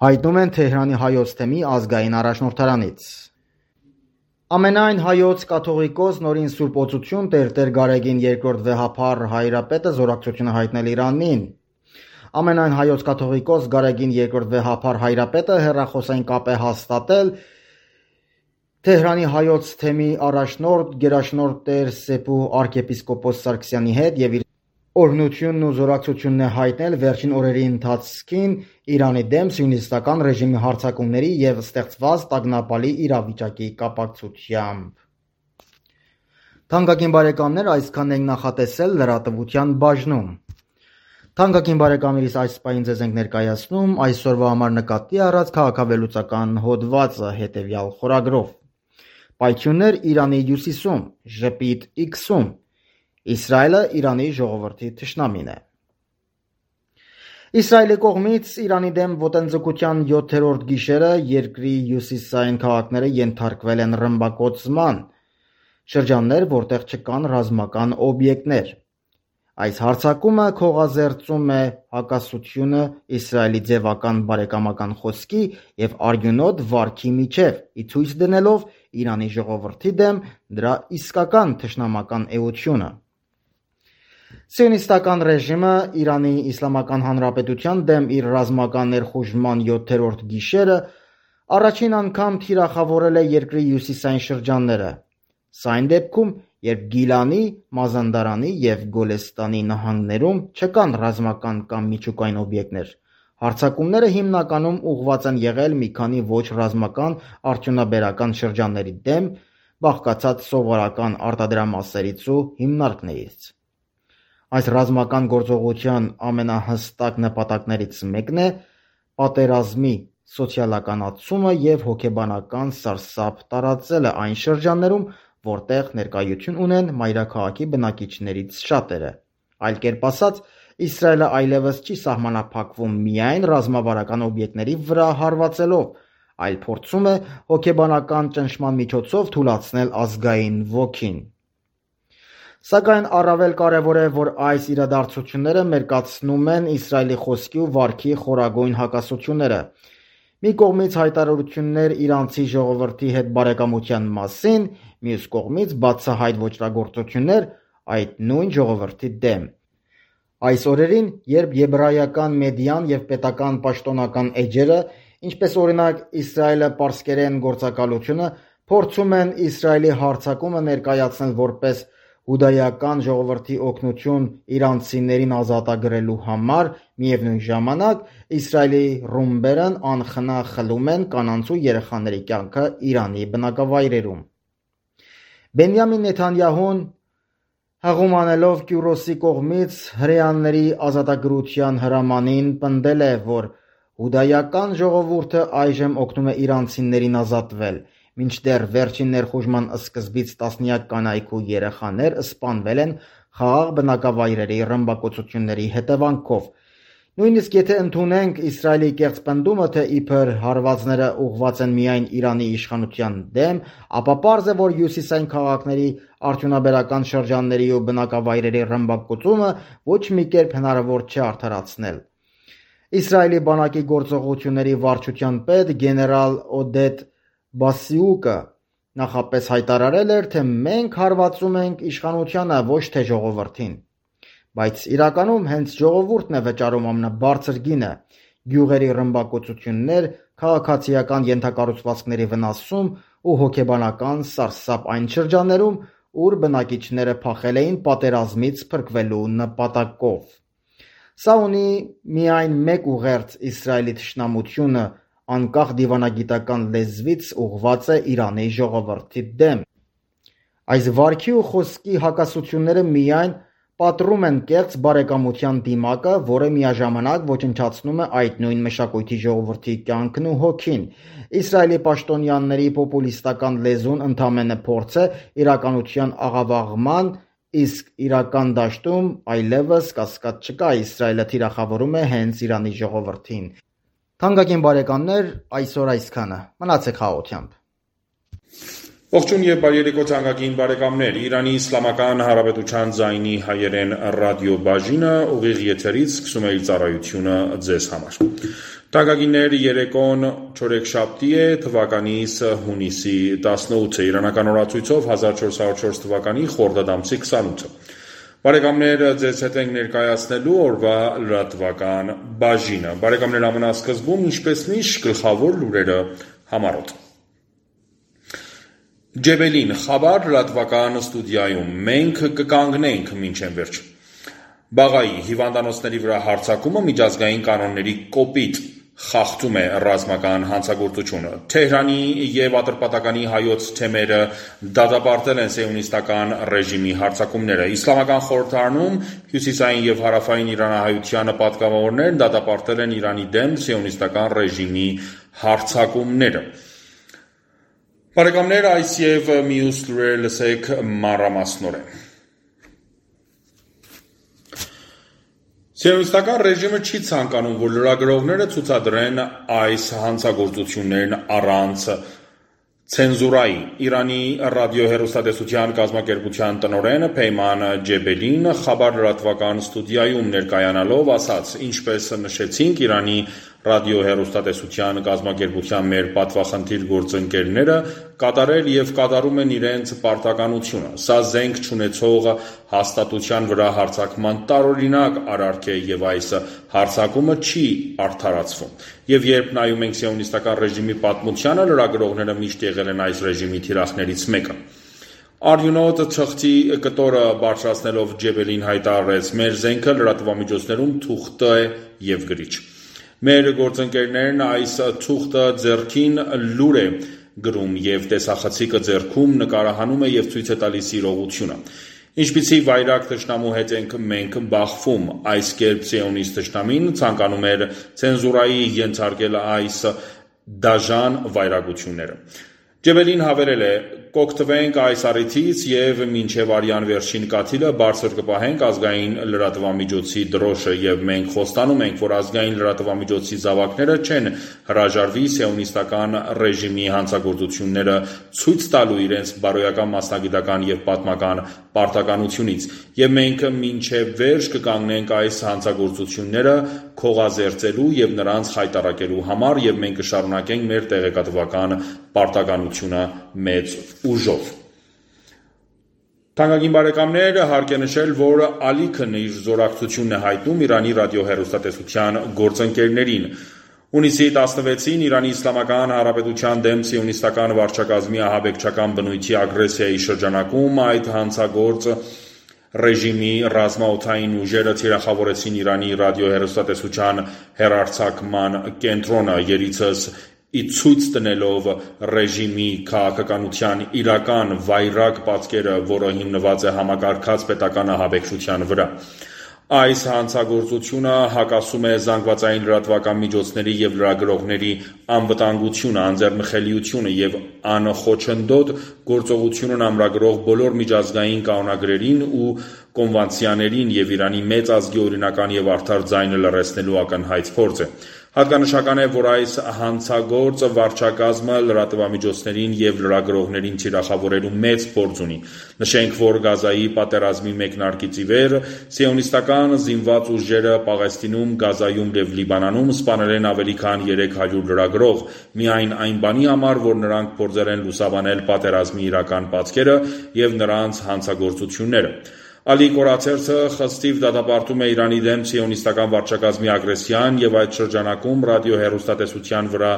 հայտնում են Թեհրանի հայոց թեմի ազգային առաջնորդարանից։ Ամենայն հայոց կաթողիկոս նորին Սուրբ Օծություն Տերտեր Գարեգին II վեհափառ հայրապետը զորակցություն հայտնել Իրանին։ Ամենայն հայոց կաթողիկոս Գարեգին II վեհափառ հայրապետը հեռախոսային կապ է հաստատել Թեհրանի հայոց թեմի առաջնորդ գերաշնորհ Տեր Սեպուհ arczepiskopos Սարգսյանի հետ եւ իր օրհնությունն ու զորակցությունն է հայտնել վերջին օրերի ընթացքին Իրանի դեմ սիոնիստական ռեժիմի հարձակումների եւ ստեղծված տագնապալի իրավիճակի կապակցությամբ։ Թանկագին բարեկամներ, այսքանն ենք նախատեսել լրատվության բաժնում։ Թանկագին բարեկամներիս այս պահին ձեզ ենք ներկայացնում այսօրվա համար նկատի առած քաղաքավելուծական հոդվածը հետևյալ խորագրով։ Պայթյուններ Իրանի հյուսիսում, ժպիտ X-ում, Իսրայելը Իրանի ժողովրդի թշնամին է։ Իսրայելի կողմից Իրանի դեմ ոտնձգության 7-րդ գիշերը երկրի հյուսիսային քաղաքները ենթարկվել են ռմբակոծման, շրջաններ, որտեղ չկան ռազմական օբյեկտներ։ Այս հարձակումը քողազերծում է հակասությունը Իսրայելի ձևական բարեկամական խոսքի եւ արյունոտ վարքի միջև, ի ցույց դնելով Իրանի ժողովրդի դեմ դրա իսկական թշնամական էությունը։ Սիոնիստական ռեժիմը Իրանի Իսլամական Հանրապետության դեմ իր ռազմական ներխուժման 7-րդ գիշերը առաջին անգամ թիրախավորել է երկրի հյուսիսային շրջանները։ Սա այն դեպքում, երբ Գիլանի, Մազանդարանի եւ Գոլեստանի նահանգներում չկան ռազմական կամ միջուկային օբյեկտներ։ Հարձակումները հիմնականում ուղղված են եղել մի քանի ոչ ռազմական արդյունաբերական շրջանների դեմ, բաղկացած սովորական արտադրամասերից ու հիմնարկներից։ Այս ռազմական գործողության ամենահստակ նպատակներից մեկն է պատերազմի սոցիալականացումը եւ հոգեբանական սարսափ տարածելը այն շրջաններում, որտեղ ներկայություն ունեն մայրաքաղաքի բնակիչներից շատերը։ Այլ կերպ ասած, Իսրայելը այլևս չի սահմանափակվում միայն ռազմավարական օբյեկտների վրա հարվածելով, այլ փորձում է հոգեբանական ճնշման միջոցով թուլացնել ազգային ոգին։ Սակայն առավել կարևոր է, որ այս իրադարձությունները մերկացնում են Իսրայելի խոսքի ու վարքի խորագույն հակասությունները։ Մի կողմից հայտարարություններ իրանցի ժողովրդի հետ բարեկամության մասին, մյուս կողմից բացահայտ ոճրագործություններ այդ նույն ժողովրդի դեմ։ Այս օրերին, երբ եբրայական մեդիան եւ պետական պաշտոնական էջերը, ինչպես օրինակ Իսրայելը պարսկերեն գործակալությունը, փորձում են Իսրայելի հարձակումը ներկայացնել որպես հուդայական ժողովրդի օգնություն իրանցիներին ազատագրելու համար, միևնույն ժամանակ Իսրայելի ռումբերն անխնա խլում են կանանց ու երեխաների կյանքը Իրանի բնակավայրերում։ Բենյամին Նեթանյահուն հղում անելով Կյուրոսի կողմից հրեաների ազատագրության հրամանին պնդել է, որ հուդայական ժողովուրդը այժմ օգնում է իրանցիներին ազատվել, մինչդեռ վերջին ներխուժման սկզբից տասնյակ կանայք ու երեխաներ սպանվել են խաղաղ բնակավայրերի ռմբակոծությունների հետևանքով։ Նույնիսկ եթե ընդունենք Իսրայելի կեղծ պնդումը, թե իբր հարվածները ուղղված են միայն Իրանի իշխանության դեմ, ապա պարզ է, որ հյուսիսային քաղաքների արդյունաբերական շրջանների ու բնակավայրերի ռմբակոծումը ոչ մի կերպ հնարավոր չէ արդարացնել։ Իսրայելի բանակի գործողությունների վարչության պետ գեներալ Օդետ Բասիուկը նախապես հայտարարել էր, թե մենք հարվածում ենք իշխանությանը, ոչ թե ժողովրդին։ Բայց իրականում հենց ժողովուրդն է վճարում ամենաբարձր գինը։ գյուղերի ռմբակոծություններ, քաղաքացիական ենթակառուցվածքների վնասում ու հոգեբանական սարսափ այն շրջաններում, ուր բնակիչները փախել էին պատերազմից փրկվելու նպատակով։ Սա ունի միայն մեկ ուղերձ՝ Իսրայելի թշնամությունը անկախ դիվանագիտական լեզվից ուղղված է Իրանի ժողովրդի դեմ։ Այս վարքի ու խոսքի հակասությունները միայն պատռում են կեղծ բարեկամության դիմակը, որը միաժամանակ ոչնչացնում է այդ նույն մշակույթի ժողովրդի կյանքն ու հոգին։ Իսրայելի պաշտոնյաների պոպուլիստական լեզուն ընդամենը փորձ է իրականության աղավաղման, իսկ իրական դաշտում այլևս կասկած չկա, Իսրայելը թիրախավորում է հենց Իրանի ժողովրդին։ Թանկագին բարեկամներ, այսօր այսքանը։ Մնացեք խաղաղությամբ։ Ողջույն եւ բարի երեկո թանկագին բարեկամներ։ Իրանի Իսլամական Հանրապետության ձայնի հայերեն ռադիոբաժինը ուղիղ եթերից սկսում է իր ծառայությունը ձեզ համար։ Թանկագիններ, երեկոն չորեքշաբթի է, թվականիս հունիսի 18-ը, իրանական օրացույցով 1404 թվականի խորդադ ամսի 28-ը։ Բարեկամներ, ձեզ հետ ենք ներկայացնելու օրվա լրատվական բաժինը։ Բարեկամներ, ամենասկզբում ինչպես միշտ գլխավոր լուրերը համառոտ։ Ջեբելին, Խաբար լրատվական ստուդիայում, մենք կկանգնենք մինչև վերջ։ Բաղայի հիվանդանոցների վրա հարձակումը միջազգային կանոնների կոպիտ խախտում է ռազմական հանցագործությունը։ Թեհրանի եւ Ատրպատականի հայոց թեմերը դատապարտել են սիոնիստական ռեժիմի հարձակումները։ Իսլամական խորհրդարանում հյուսիսային եւ հարավային իրանահայությանը պատգամավորներն դատապարտել են Իրանի դեմ սիոնիստական ռեժիմի հարձակումները։ Բարեկամներ, այս եւ մյուս լուրերը լսեք մանրամասնորեն։ Սիոնիստական ռեժիմը չի ցանկանում, որ լրագրողները ցուցադրեն այս հանցագործություններն առանց ցենզուրայի։ Իրանի ռադիոհեռուստատեսության կազմակերպության տնօրեն Փեյման Ջեբելին Խաբար լրատվական ստուդիայում ներկայանալով ասաց. «Ինչպես նշեցինք, Իրանի ռադիոհեռուստատեսության կազմակերպության մեր պատվախնդիր գործընկերները կատարել եւ կատարում են իրենց պարտականությունը։ Սա զենք չունեցող հաստատության վրա հարձակման տարօրինակ արարք է եւ այս հարձակումը չի արդարացվում։ Եվ երբ նայում ենք սիոնիստական ռեժիմի պատմությանը, լրագրողները միշտ եղել են այս ռեժիմի թիրախներից մեկը»։ Արյունոտ թղթի կտորը բարձրացնելով Ջեբելին հայտարարեց. «Մեր զենքը լրատվամիջոցներում թուղթ է եւ գրիչ։ Մեր գործընկերներն այս թուղթը ձեռքին լուր է գրում եւ տեսախցիկը ձեռքում նկարահանում է եւ ցույց է տալիս իրողությունը։ Ինչպիսի վայրագ թշնամու հետ ենք մենք բախվում։ Այս կերպ սիոնիստ թշնամին ցանկանում էր ցենզուրայի ենթարկել այս դաժան վայրագությունները»։ Ջեբելին հավելել է. «Կօգտվենք այս առիթից եւ մինչեւ արյան վերջին կաթիլը բարձր կպահենք ազգային լրատվամիջոցի դրոշը եւ մենք խոստանում ենք, որ ազգային լրատվամիջոցի զավակները չեն հրաժարվի սիոնիստական ռեժիմի հանցագործությունները ցույց տալու իրենց բարոյական մասնագիտական եւ պատմական պարտականությունից եւ մենք մինչեւ վերջ կկանգնենք այս հանցագործությունները քողազերծելու եւ նրանց խայտառակելու համար եւ մենք կշարունակենք մեր տեղեկատվական պարտականությունը մեծ ուժով»։ Թանկագին բարեկամներ, հարկ է նշել, որ Ալիքն իր զորակցությունն է հայտնում Իրանի ռադիոհեռուստատեսության գործընկերներին։ Հունիսի 16-ին Իրանի Իսլամական Հանրապետության դեմ սիոնիստական վարչակազմի ահաբեկչական բնույթի ագրեսիայի շրջանակում այդ հանցագործ ռեժիմի ռազմաօդային ուժերը թիրախավորեցին Իրանի ռադիոհեռուստատեսության հեռարձակման կենտրոնը, երիցս ի ցույց տնելով ռեժիմի քաղաքականության իրական վայրագ պատկերը, որը հիմնված է համակարգած պետական ահաբեկչության վրա։ Այս հանցագործությունը հակասում է զանգվածային լրատվական միջոցների եւ լրագրողների անվտանգությունը, անձեռնխելիությունը եւ անխոչնդոտ գործողությունն ամրագրող բոլոր միջազգային կանոնագրերին ու կոնվենցիաներին եւ Իրանի մեծ ազգի օրինական եւ արդար ձայնը լռեցնելու ակնհայտ փորձ է։ Հատկանշական է, որ այս հանցագործ վարչակազմը լրատվամիջոցներին եւ լրագրողներին թիրախավորելու մեծ փորձ ունի։ Նշենք, որ Գազայի պատերազմի մեկնարկից ի վեր սիոնիստական զինված ուժերը Պաղեստինում, Գազայում եւ Լիբանանում սպանել են ավելի քան 300 լրագրող, միայն այն բանի համար, որ նրանք փորձել են լուսաբանել պատերազմի իրական պատկերը եւ նրանց հանցագործությունները։ Ալի Կորացերցը խստիվ դատապարտում է Իրանի դեմ սիոնիստական վարչակազմի ագրեսիան եւ այդ շրջանակում ռադիոհեռուստատեսության վրա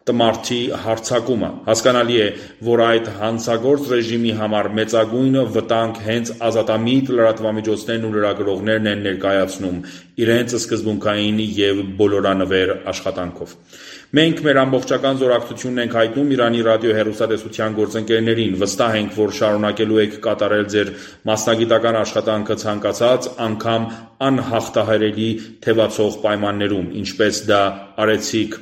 տմարդի հարձակումը։ Հասկանալի է, որ այդ հանցագործ ռեժիմի համար մեծագույն վտանգ հենց ազատամիտ լրատվամիջոցներն ու լրագրողներն են ներկայացնում իրենց սկզբունքային եւ բոլորանվեր աշխատանքով։ Մենք մեր ամբողջական զորակցությունն ենք հայտնում Իրանի ռադիոհեռուստատեսության գործընկերներին, վստահ ենք, որ շարունակելու եք կատարել ձեր մասնագիտական աշխատանքը ցանկացած անգամ անհաղթահարելի թևածող պայմաններում, ինչպես դա արեցիք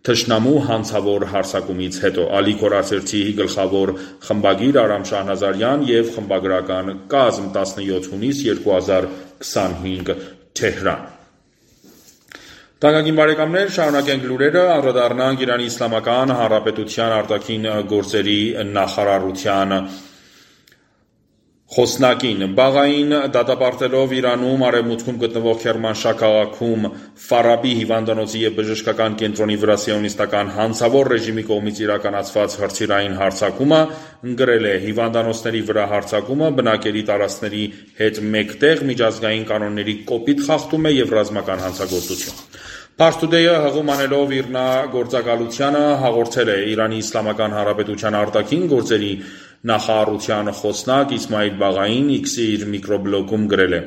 թշնամու հանցավոր հարձակումից հետո։ Ալի Կորացերցի գլխավոր խմբագիր Արամ Շահնազարյան եւ խմբագրական կազմ 17 հունիս 2025 Թեհրան։ Տանկագին բարեկամներ, շարունակենք լուրերը, անդրադառնանք Իրանի Իսլամական Հանրապետության արտաքին գործերի նախարարության խոսնակին։ Բաղային դատապարտելով Իրանում արևմուտքում գտնվող Քերմանշահ քաղաքում Ֆարաբի հիվանդանոցի եւ բժշկական կենտրոնի վրա սիոնիստական հանցավոր ռեժիմի կողմից իրականացված հրթիռային հարձակումը գրել է հիվանդանոցների վրա հարձակումը բնակելի տարածքների հետ մեկտեղ միջազգային կանոնների կոպիտ խախտում է եւ ռազմական հանցագործություն։ Փարթուդեյը հղում անելով իրնագործակալությանը հաղորդել է Իրանի Իսլամական Հանրապետության արտաքին գործերի նախարարության խոսնակ Իսմայիլ Բաղային X-ի իր միկրոբլոգում գրել է.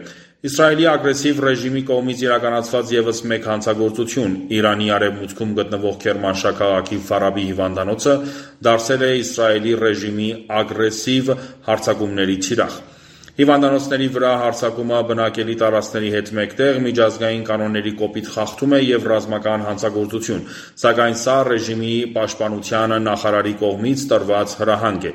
Իսրայելի ագրեսիվ ռեժիմի կողմից իրականացված եւս մեկ հանցագործություն Իրանի արևմուտքում գտնվող Քերմանշահ քաղաքի Ֆարաբի հիվանդանոցը դարձել է Իսրայելի ռեժիմի ագրեսիվ հարձակումների թիրախ։ Հիվանդանոցների վրա հարձակումը բնակելի տարածքների հետ մեկտեղ միջազգային կանոնների կոպիտ խախտում է եւ ռազմական հանցագործություն, սակայն սա ռեժիմի պաշտպանության նախարարի կողմից տրված հրահանգ է։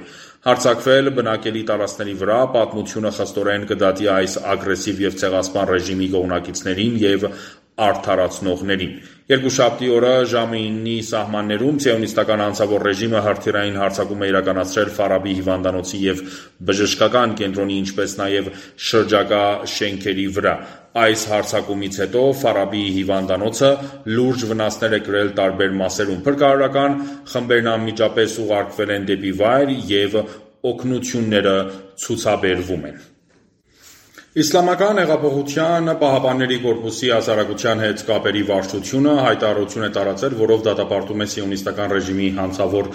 Հարձակվել բնակելի տարածքների վրա պատմությունը խստորեն կդատի այս ագրեսիվ եւ ցեղասպան ռեժիմի կողմնակիցներին եւ արդարացնողներին։ Երկուշաբթի օրը ժամը 9-ի սահմաններում սիոնիստական հանցավոր ռեժիմը հրթիռային հարձակում է իրականացրել Ֆարաբի հիվանդանոցի եւ բժշկական կենտրոնի, ինչպես նաեւ շրջակա շենքերի վրա։ Այս հարձակումից հետո Ֆարաբի հիվանդանոցը լուրջ վնասներ է կրել տարբեր մասերում։ Փրկարարական խմբերն անմիջապես ուղարկվել են դեպի վայր եւ օգնությունները ցուցաբերվում են։ Իսլամական հեղափոխության պահապանների կորպուսի հասարակության հետ կապերի վարչությունը հայտարարություն է տարածել, որով դատապարտում է սիոնիստական ռեժիմի հանցավոր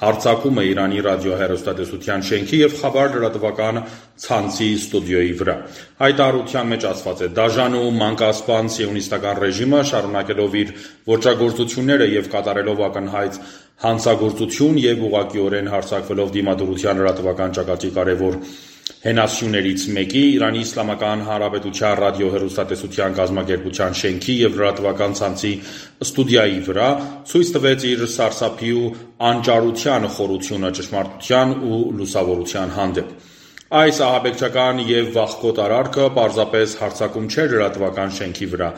հարձակումը Իրանի ռադիոհեռուստատեսության շենքի եւ Խաբար լրատվական ցանցի ստուդիոյի վրա։ Հայտարարության մեջ ասված է. «Դաժան ու մանկասպան սիոնիստական ռեժիմը շարունակելով իր ոճրագործությունները եւ կատարելով ակնհայտ հանցագործություն եւ ուղղակիորեն հարձակվելով դիմադրության լրատվական ճակատի կարևոր հենասյուներից մեկի Իրանի Իսլամական Հանրապետության ռադիոհեռուստատեսության կազմակերպության շենքի եւ լրատվական ցանցի ստուդիայի վրա ցույց տվեց իր սարսափի ու անճարության խորությունը ճշմարտության ու լուսավորության հանդեպ։ Այս ահաբեկչական եւ վախկոտ արարքը պարզապես հարձակում չէր լրատվական շենքի վրա,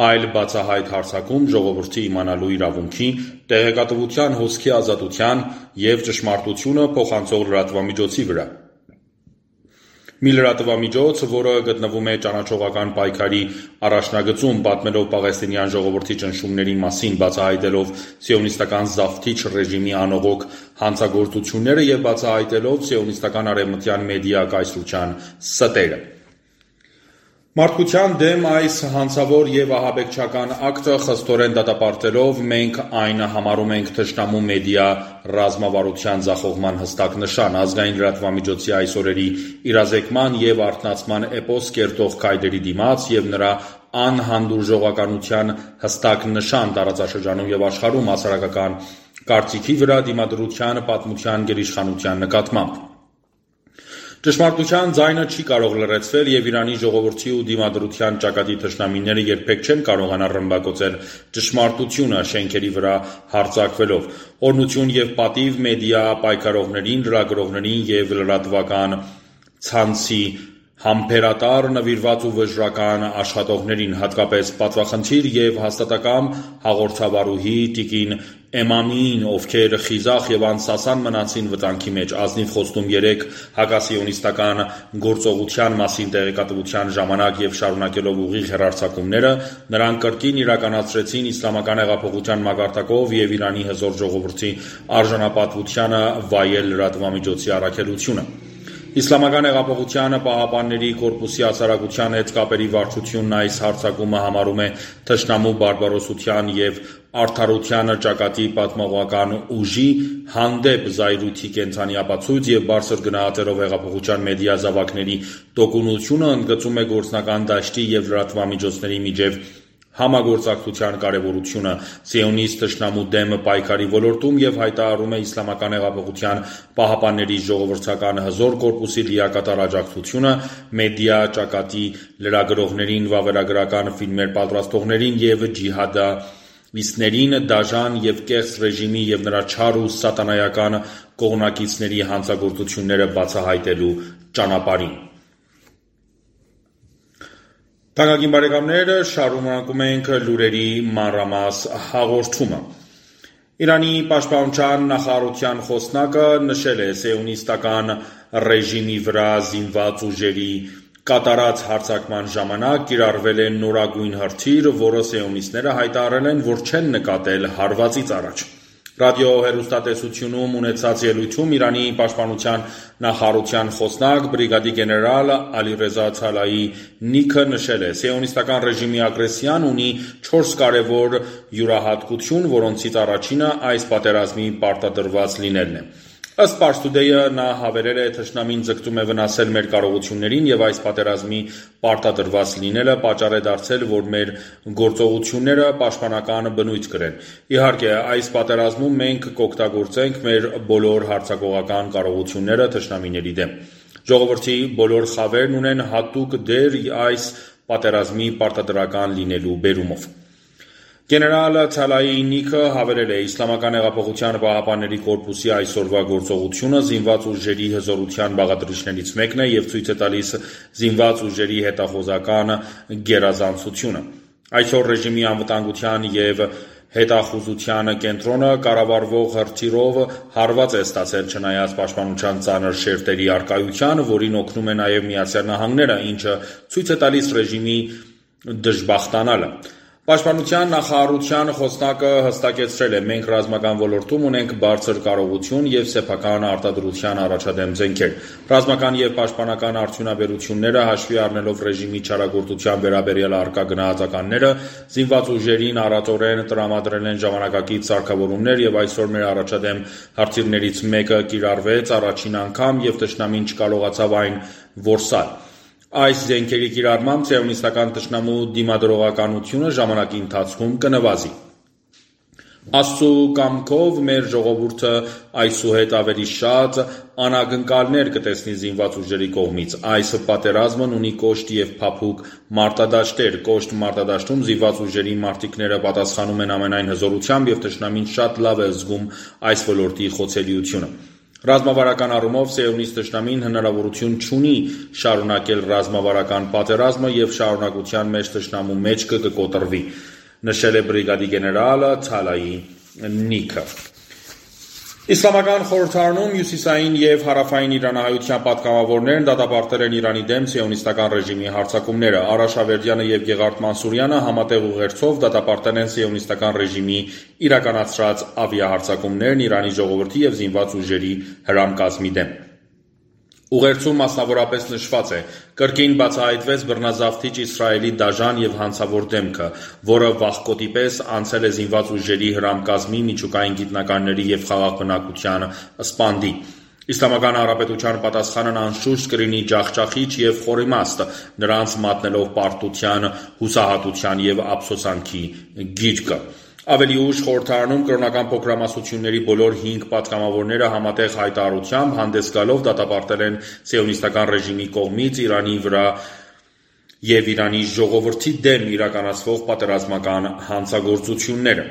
այլ բացահայտ հարձակում ժողովրդի իմանալու իրավունքի, տեղեկատվության հոսքի ազատության եւ ճշմարտությունը փոխանցող լրատվամիջոցի վրա։ Մի լրատվամիջոց, որը գտնվում է ճանաչողական պայքարի առաջնագծում, պատմելով պաղեստինյան ժողովրդի ճնշումների մասին, բացահայտելով սիոնիստական զավթիչ ռեժիմի անողոք հանցագործությունները եւ բացահայտելով սիոնիստական արևմտյան մեդիա կայսրության ստերը։ Մարդկության դեմ այս հանցավոր եւ ահաբեկչական ակտը խստորեն դատապարտելով մենք այն համարում ենք թշնամու մեդիա ռազմավարության ձախողման հստակ նշան, ազգային լրատվամիջոցի այս օրերի իրազեկման եւ արթնացման էպոս կերտող քայլերի դիմաց եւ նրա անհանդուրժողականության հստակ նշան տարածաշրջանում եւ աշխարհում հասարակական կարծիքի վրա դիմադրության պատմության գերիշխանության նկատմամբ։ Ճշմարտության ձայնը չի կարող լրացվել եւ Իրանի ժողովրդի ու դիմադրության ճակատի թշնամիները երբեք չեն կարողանա ռմբակոծել ճշմարտությունը շենքերի վրա հարձակվելով։ Օրհնություն եւ պատիվ մեդիա պայքարողներին, լրագրողներին եւ լրատվական ցանցի համբերատար, նվիրված ու վճռական աշխատողներին, հատկապես պատվախնդիր եւ հաստատակամ հաղորդավարուհի տիկին Էմամին, ովքեր խիզախ եւ անսասան մնացին վտանգի մեջ, ազնիվ խոստում 3 հակասիոնիստական գործողության մասին տեղեկատվության ժամանակ եւ շարունակելով ուղիղ հեռարձակումները, նրանք կրկին իրականացրեցին իսլամական հեղափոխության մակարդակով եւ Իրանի հզոր ժողովրդի արժանապատվությանը վայել լրատվամիջոցի առաքելությունը։ Իսլամական հեղափոխության պահապանների կորպուսի հասարակության հետ կապերի վարչությունն այս հարձակումը համարում է թշնամու բարբարոսության և արդարության ճակատի պատմողական ուժի հանդեպ զայրույթի կենդանի ապացույց և բարձր գնահատելով հեղափոխության մեդիա զավակների տոկունությունը ընդգծում է գործնական դաշտի և լրատվամիջոցների միջև համագործակցության կարևորությունը սիոնիստ թշնամու դեմ պայքարի ոլորտում և հայտարարում է Իսլամական հեղափոխության պահապանների ժողովրդական հզոր կորպուսի լիակատար աջակցությունը մեդիա ճակատի լրագրողներին, վավերագրական ֆիլմեր պատրաստողներին և ջիհադիստներին, դաժան և կեղծ ռեժիմի և նրա չար ու սատանայական կողմնակիցների հանցագործությունները բացահայտելու ճանապարհին։ Թանկագին բարեկամներ, շարունակում ենք լուրերի մանրամաս հաղորդումը։ Իրանի պաշտպանության նախարարության խոսնակը նշել է սիոնիստական ռեժիմի վրա զինված ուժերի կատարած հարձակման ժամանակ կիրառվել է նորագույն հրթիռ, որը սիոնիստները հայտարարել են, որ չեն նկատել հարվածից առաջ։ Ռադիոհեռուստատեսությունում ունեցած ելույթում Իրանի պաշտպանության նախարարության խոսնակ բրիգադի գեներալ Ալիրեզա Ցալայի Նիքը նշել է. «Սիոնիստական ռեժիմի ագրեսիան ունի 4 կարևոր յուրահատկություն, որոնցից առաջինը այս պատերազմի պարտադրված լինելն է»։ Ըստ Pars Today-ը նա հավելել է. «Թշնամին ձգտում է վնասել մեր կարողություններին և այս պատերազմի պարտադրված լինելը պատճառ է դարձել, որ մեր գործողությունները պաշտպանական բնույթ կրեն։ Իհարկե, այս պատերազմում մենք կօգտագործենք մեր բոլոր հարձակողական կարողությունները թշնամիների դեմ։ Ժողովրդի բոլոր խավերն ունեն հատուկ դեր այս պատերազմի պարտադրական լինելու բերումով»։ Գեներալ Ցալայի Նիքը հավելել է. «Իսլամական հեղափոխության պահապանների կորպուսի այսօրվա գործողությունը զինված ուժերի հզորության բաղադրիչներից մեկն է և ցույց է տալիս զինված ուժերի հետախուզական գերազանցությունը։ Այսօր ռեժիմի անվտանգության և հետախուզության կենտրոնը կառավարվող հրթիռով հարված է ստացել չնայած պաշտպանության ծանր շերտերի առկայության, որին օգնում է նաև ԱՄՆ-ը, ինչը ցույց է տալիս ռեժիմի դժբախտանալը։ Պաշտպանության նախարարության խոսնակը հստակեցրել է. «Մենք ռազմական ոլորտում ունենք բարձր կարողություն և սեփական արտադրության առաջադեմ զենքեր։ Ռազմական և պաշտպանական արդյունաբերությունները, հաշվի առնելով ռեժիմի չարագործության վերաբերյալ առկա գնահատականները, զինված ուժերին առատորեն տրամադրել են ժամանակակից սարքավորումներ և այսօր մեր առաջադեմ հրթիռներից մեկը կիրառվեց առաջին անգամ և թշնամին չկարողացավ այն որսալ։ Այս զենքերի կիրառմամբ սիոնիստական թշնամու դիմադրողականությունը ժամանակի ընթացքում կնվազի։ Աստծու կամքով մեր ժողովուրդը այսուհետ ավելի շատ անակնկալներ կտեսնի զինված ուժերի կողմից։ Այս պատերազմն ունի կոշտ և փափուկ մարտադաշտեր։ Կոշտ մարտադաշտում զինված ուժերի մարտիկները պատասխանում են ամենայն հզորությամբ և թշնամին շատ լավ է զգում այս ոլորտի խոցելիությունը։ Ռազմավարական առումով սիոնիստ թշնամին հնարավորություն չունի շարունակել ռազմավարական պատերազմը և շարունակության մեջ թշնամու մեջքը կկոտրվի», նշել է բրիգադի գեներալ Ցալայի Նիքը։ Իսլամական խորհրդարանում հյուսիսային և հարավային իրանահայության պատգամավորներն դատապարտել են Իրանի դեմ սիոնիստական ռեժիմի հարձակումները։ Արաշ Ավերդյանը և Գեղարդ Մանսուրյանը համատեղ ուղերձով դատապարտել են սիոնիստական ռեժիմի իրականացրած ավիահարձակումներն Իրանի ժողովրդի և զինված ուժերի հրամկազմի դեմ։ Ուղերձում մասնավորապես նշված է. «Կրկին բացահայտվեց բռնազավթիչ Իսրայելի դաժան և հանցավոր դեմքը, որը վախկոտի պես անցել է զինված ուժերի հրամկազմի, միջուկային գիտնականների և խաղաղ բնակության սպանդի։ Իսլամական Հանրապետության պատասխանն անշուշտ կլինի ջախջախիչ և խորիմաստ՝ նրանց մատնելով պարտության, հուսահատության և ափսոսանքի գիրկը»։ Ավելի ուշ խորհրդարանում կրոնական փոքրամասնությունների բոլոր 5 պատգամավորները համատեղ հայտարարությամբ հանդես գալով դատապարտել են սիոնիստական ռեժիմի կողմից Իրանի վրա և Իրանի ժողովրդի դեմ իրականացվող պատերազմական հանցագործությունները։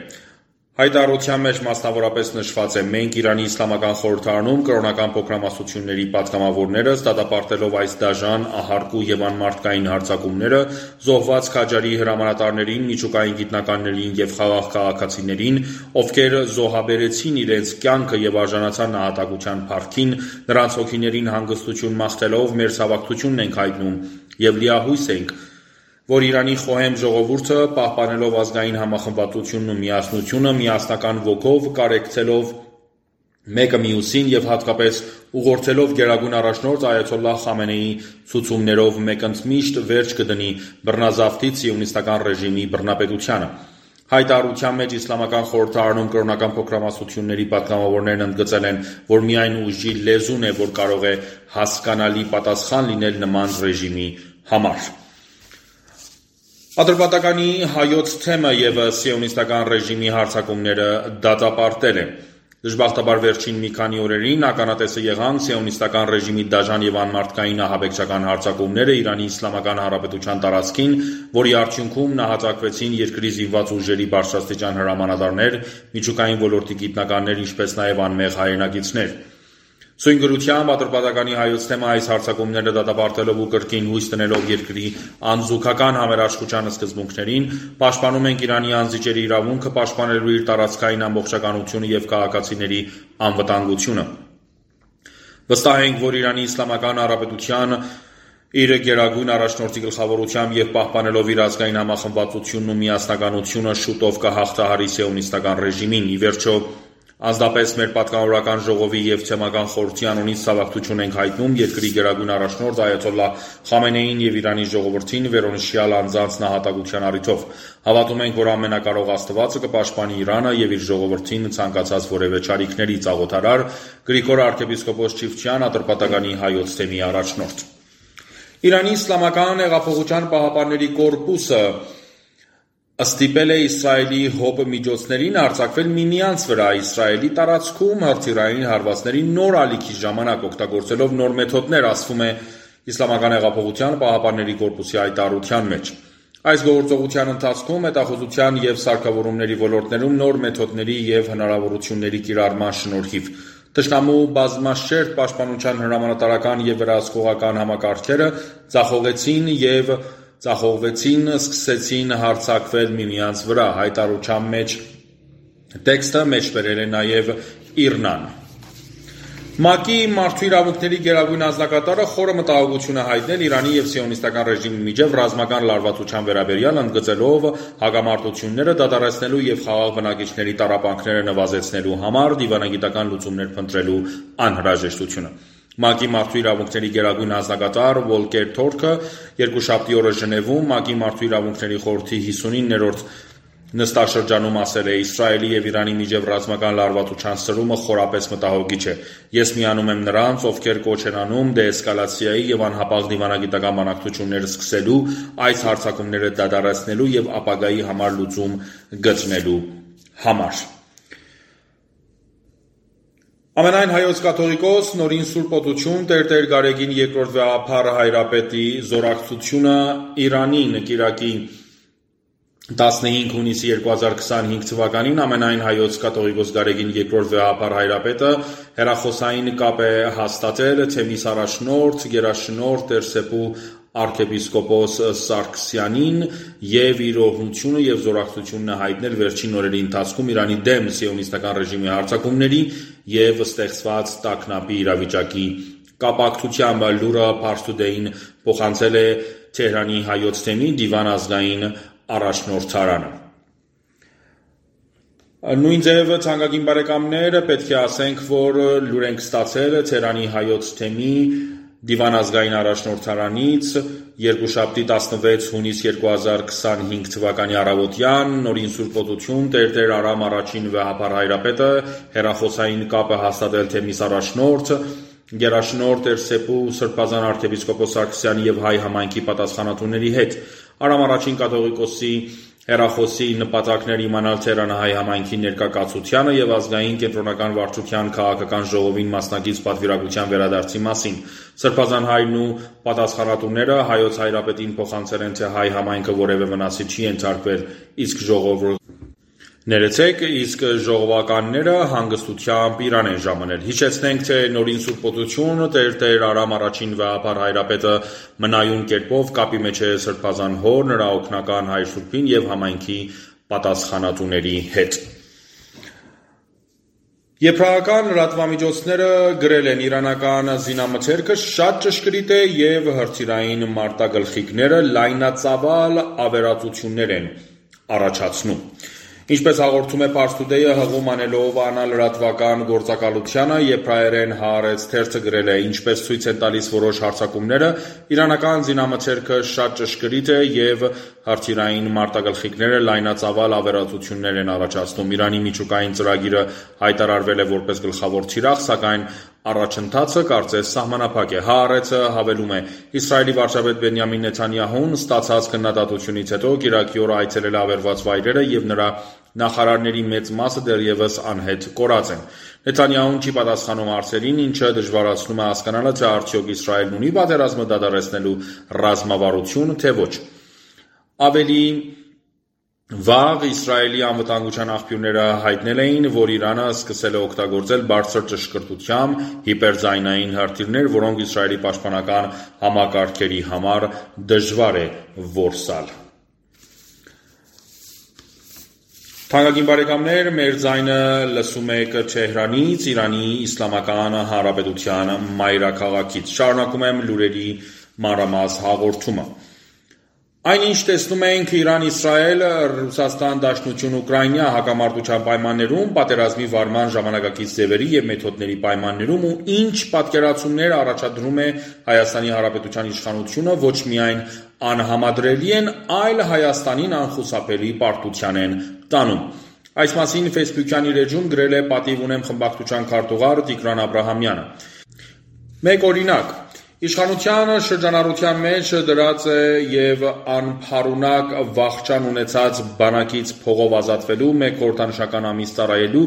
Հայտարարության մեջ մասնավորապես նշված է. «Մենք Իրանի Իսլամական խորհրդարանում կրոնական փոքրամասնությունների պատգամավորներս դատապարտելով այս դաժան, ահարկու և անմարդկային հարձակումները զոհված Քաջարի հրամանատարներին, միջուկային գիտնականներին և խաղաղ քաղաքացիներին, ովքեր զոհաբերեցին իրենց կյանքը և արժանացան նահատակության փառքին, նրանց հոգիներին հանգստություն մաղթելով մեր ցավակցությունն ենք հայտնում և լիահույս ենք, որ Իրանի խոհեմ ժողովուրդը, պահպանելով ազգային համախմբվածությունն ու միասնությունը, միասնական ոգով կարեկցելով մեկը մյուսին եւ հատկապես ուղղորդելով գերագույն առաջնորդ Այաթոլլահ Խամենեիի ցուցումներով մեկընդմիշտ վերջ կդնի բռնազավթի սիոնիստական ռեժիմի բռնապետությանը։ Հայտարարության մեջ իսլամական խորհրդարանում կրոնական փոքրամասնությունների պատգամավորներն ընդգծել են, որ միայն ուժի լեզուն է, որ կարող է հասկանալի պատասխան լինել նման ռեժիմի համար։ Ատրպատականի հայոց թեմը եւ սիոնիստական ռեժիմի հարձակումները դատապարտել է։ Դժբախտաբար վերջին մի քանի օրերին ականատեսը եղան սիոնիստական ռեժիմի դաժան եւ անմարդկային ահաբեկչական հարձակումները Իրանի Իսլամական Հանրապետության տարածքին, որի արդյունքում նահատակվեցին երկրի զինված ուժերի բարձրաստիճան հրամանատարներ, միջուկային ոլորտի գիտնականներ, ինչպես նաեւ անմեղ հայրենակիցներ։ Սույն գրությամբ Ատրպատականի հայոց թեմը այս հարձակումները դատապարտելով ու կրկին հույս տնելով երկրի անզուգական համերաշխության սկզբունքներին, պաշտպանում ենք Իրանի անձիճերի իրավունքը պաշտպանելու իր տարածքային ամբողջականությունը եւ քաղաքացիների անվտանգությունը։ Վստահ ենք, որ Իրանի Իսլամական Հանրապետության իր գերագույն առաջնորդի գլխավորությամբ եւ պահպանելով իր ազգային համախմբվածությունն ու միասնականությունը շուտով կհաղթահարի սիոնիստական ռեժիմին։ Ի վերջո Ազդապես մեր պատգամավորական ժողովի եւ թեմական խորհրդի անունից ցավակցություն ենք հայտնում երկրի գերագույն առաջնորդ Այաթոլլահ Խամենեիին եւ Իրանի ժողովրդին վերոնշյալ անձանց նահատակության առիթով։ Հավատում ենք, որ ամենակարող Աստվածը կպաշտպանի Իրանը եւ իր ժողովրդին ցանկացած որևէ չարիքներից աղոթարար Գրիգոր arczepiskopos Չիվչյան Ատրպատականի հայոց թեմի առաջնորդ։ Իրանի Իսլամական հեղափոխության պահապանների կորպուսը ստիպել է Իսրայելի հոպ միջոցներին արձակվել միմյանց վրա Իսրայելի տարածքում հրթիռային հարվածների նոր ալիքի ժամանակ օգտագործելով նոր մեթոդներ, ասվում է Իսլամական հեղափոխության պահապանների կորպուսի հայտարարության մեջ։ Այս գործողության ընթացքում հետախուզության եւ սարքավորումների ոլորտներում նոր մեթոդների եւ հնարավորությունների կիրառման շնորհիվ Թշնամու բազմաշերտ պաշտպանության հրամանատարական եւ վերահսկողական համակարգերը ձախողվեցին, սկսեցին հարձակվել միմյանց վրա, հայտարարության մեջ տեքստը մեջբերել է նաև Իրնան։ ՄԱԿ-ի մարդու իրավունքների գերագույն անձնակատարը խորը մտահոգություն է հայտնել Իրանի եւ սիոնիստական ռեժիմի միջև ռազմական լարվածության վերաբերյալ, ընդգծելով հակամարտությունները դադարեցնելու եւ խաղաղ բնակիչների տառապանքները նվազեցնելու համար դիվանագիտական լուծումներ փնտրելու անհրաժեշտությունը։ ՄԱԿ-ի մարդու իրավունքների գերագույն անձնակատար Վոլկեր Թորքը երկուշաբթի օրը Ժնևում ՄԱԿ-ի մարդու իրավունքների խորհրդի 59-րդ նստաշրջանում ասել է. Իսրայելի եւ Իրանի միջև ռազմական լարվածության սրումը խորապես մտահոգիչ է։ Ես միանում եմ նրանց, ովքեր կոչ են անում դեէսկալացիայի եւ անհապաղ դիվանագիտական բանակցություններ սկսելու, այս հարձակումները դադարեցնելու եւ ապագայի համար լուծում գտնելու համար։ Ամենայն հայոց կաթողիկոս նորին Սուրբ Օդություն Տեր Գարեգին II վեհափառ հայրապետի զորակցությունը Իրանին կիրակի 15 հունիսի 2025 թվականին ամենայն հայոց կաթողիկոս Գարեգին II վեհափառ հայրապետը հեռախոսային կապ է հաստատել թեմիս առաջնորդ գերաշնորհ Տեր Սեպու arczepiskopos Սարգսյանին եւ իր օրհնությունը եւ զորակցությունն հայտնել վերջին օրերի ընթացքում Իրանի դեմ սիոնիստական ռեժիմի հարձակումների եւ ստեղծված տագնապի իրավիճակի կապակցությամբ լուրը Pars Today-ին փոխանցել է Թեհրանի հայոց թեմի դիվան ազգային առաջնորդարանը։ Նույն ձև ցանկագին բարեկամներ պետք է ասենք, որ լուր ենք ստացել Թեհրանի հայոց թեմի դիվան ազգային առաջնորդարանից երկուշաբթի 16 հունիս 2025 թվականի առավոտյան նորին Սուրբ Օդություն Տեր Արամ առաջին վեհափառ հայրապետը հեռախոսային կապը հաստատել թեմիս առաջնորդ գերաշնորհ Տեր Սեպու Սրբազան arczepiskopos Սարգսյանի եւ հայ համայնքի պատասխանատուների հետ։ Արամ առաջին կաթողիկոսի հեռախոսի նպատակներ իմանալ Թեհրանահայ համայնքի ներկայացությանը եւ ազգային կենտրոնական վարչության քաղաքական ժողովին մասնակից պատվիրակության վերադարձի մասին։ Սրբազան հայրն ու պատասխանատուները հայոց հայրապետին փոխանցել են, թե հայ համայնքը որևէ վնասի չի ենթարկվել, իսկ ժողովականները հանգստությամբ Իրան են ժամանել։ Հիշեցնենք, թե նորին Սուրբ Օդություն Տեր Արամ առաջին վեհափառ հայրապետը մնայուն կերպով կապի մեջ է Սրբազան հոր, նրա օգնական հայր Սուրբին եւ համայնքի պատասխանատուների հետ։ Եբրայական լրատվամիջոցները գրել են իրանական զինամթերքը շատ ճշգրիտ է եւ հրթիռային մարտագլխիկները լայնածավալ ավերածություններ են առաջացնում։ Ինչպես հաղորդում է Pars Today-ը, հղում անելով անալրատվական գործակալությանը, եբրայերեն Հaaretz թերթը գրել է, ինչպես ցույց են տալիս որոշ հարձակումները, իրանական զինամթերքը շատ ճշգրիտ է և հրթիռային մարտագլխիկները լայնածավալ ավերածություններ են առաջացնում։ Իրանի միջուկային ծրագիրը հայտարարվել է որպես գլխավոր թիրախ, սակայն առաջընթացը կարծես սահմանափակ է։ Հaaretzը հավելում է. Իսրայելի վարչապետ Բենյամին Նեթանյահուն ստացած քննադատությունից հետո կիրակի օրը այցելել է ավերված վայրերը և նրա նախարարների մեծ մասը դեռևս անհետ կորած են։ Նեթանյահուն չի պատասխանում հարցերին, ինչը դժվարացնում է հասկանալը, թե արդյոք Իսրայելն ունի պատերազմը դադարեցնելու ռազմավարություն, թե ոչ։ Ավելի վաղ Իսրայելի անվտանգության աղբյուրները հայտնել էին, որ Իրանը սկսել է օգտագործել բարձր ճշգրտությամբ հիպերձայնային հրթիռներ, որոնք Իսրայելի պաշտպանական համակարգերի համար դժվար է որսալ։ Թանկագին բարեկամներ, մեր ձայնը լսում եք Թեհրանից, Իրանի Իսլամական Հանրապետության մայրաքաղաքից։ Շարունակում եմ լուրերի մանրամաս հաղորդումը։ Այնինչ տեսնում ենք Իրան-Իսրայել, Ռուսաստան-Դաշնություն-Ուկրաինա հակամարտության պայմաններում, պատերազմի վարման ժամանակակից ձևերի և մեթոդների պայմաններում ու ինչ պատկերացումներ առաջադրում է Հայաստանի Հանրապետության իշխանությունը, ոչ միայն անհամադրելի են, այլ Հայաստանին անխուսափելի պարտության են տանում։ Այս մասին Facebook-յան իր էջում գրել է «Պատիվ ունեմ» խմբակցության քարտուղար Տիգրան Աբրահամյանը։ Մեկ օրինակ, իշխանության շրջանառության մեջ դրած է և անփարունակ վախճան ունեցած բանակից փողով ազատվելու մեկ խորհրդանշական ամիս ծառայելու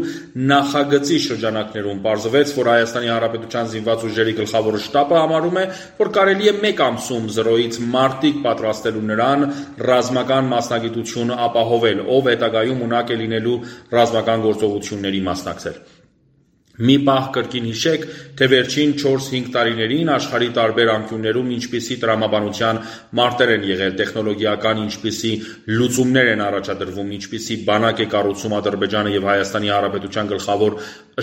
նախագծի շրջանակներում պարզվեց, որ Հայաստանի Հանրապետության զինված ուժերի գլխավոր շտաբը համարում է, որ կարելի է մեկ ամսում 0-ից մարտիկ պատրաստելու նրան ռազմական մասնագիտություն ապահովել, ով հետագայում ունակ է լինելու ռազմական գործողությունների մասնակցել։ Մի պահ կրկին հիշեք, թե վերջին 4-5 տարիներին աշխարհի տարբեր անկյուններում ինչպիսի տրամաբանության մարտեր են եղել, տեխնոլոգիական ինչպիսի լուծումներ են առաջադրվում, ինչպիսի բանակ է կառուցում Ադրբեջանը և Հայաստանի Հանրապետության գլխավոր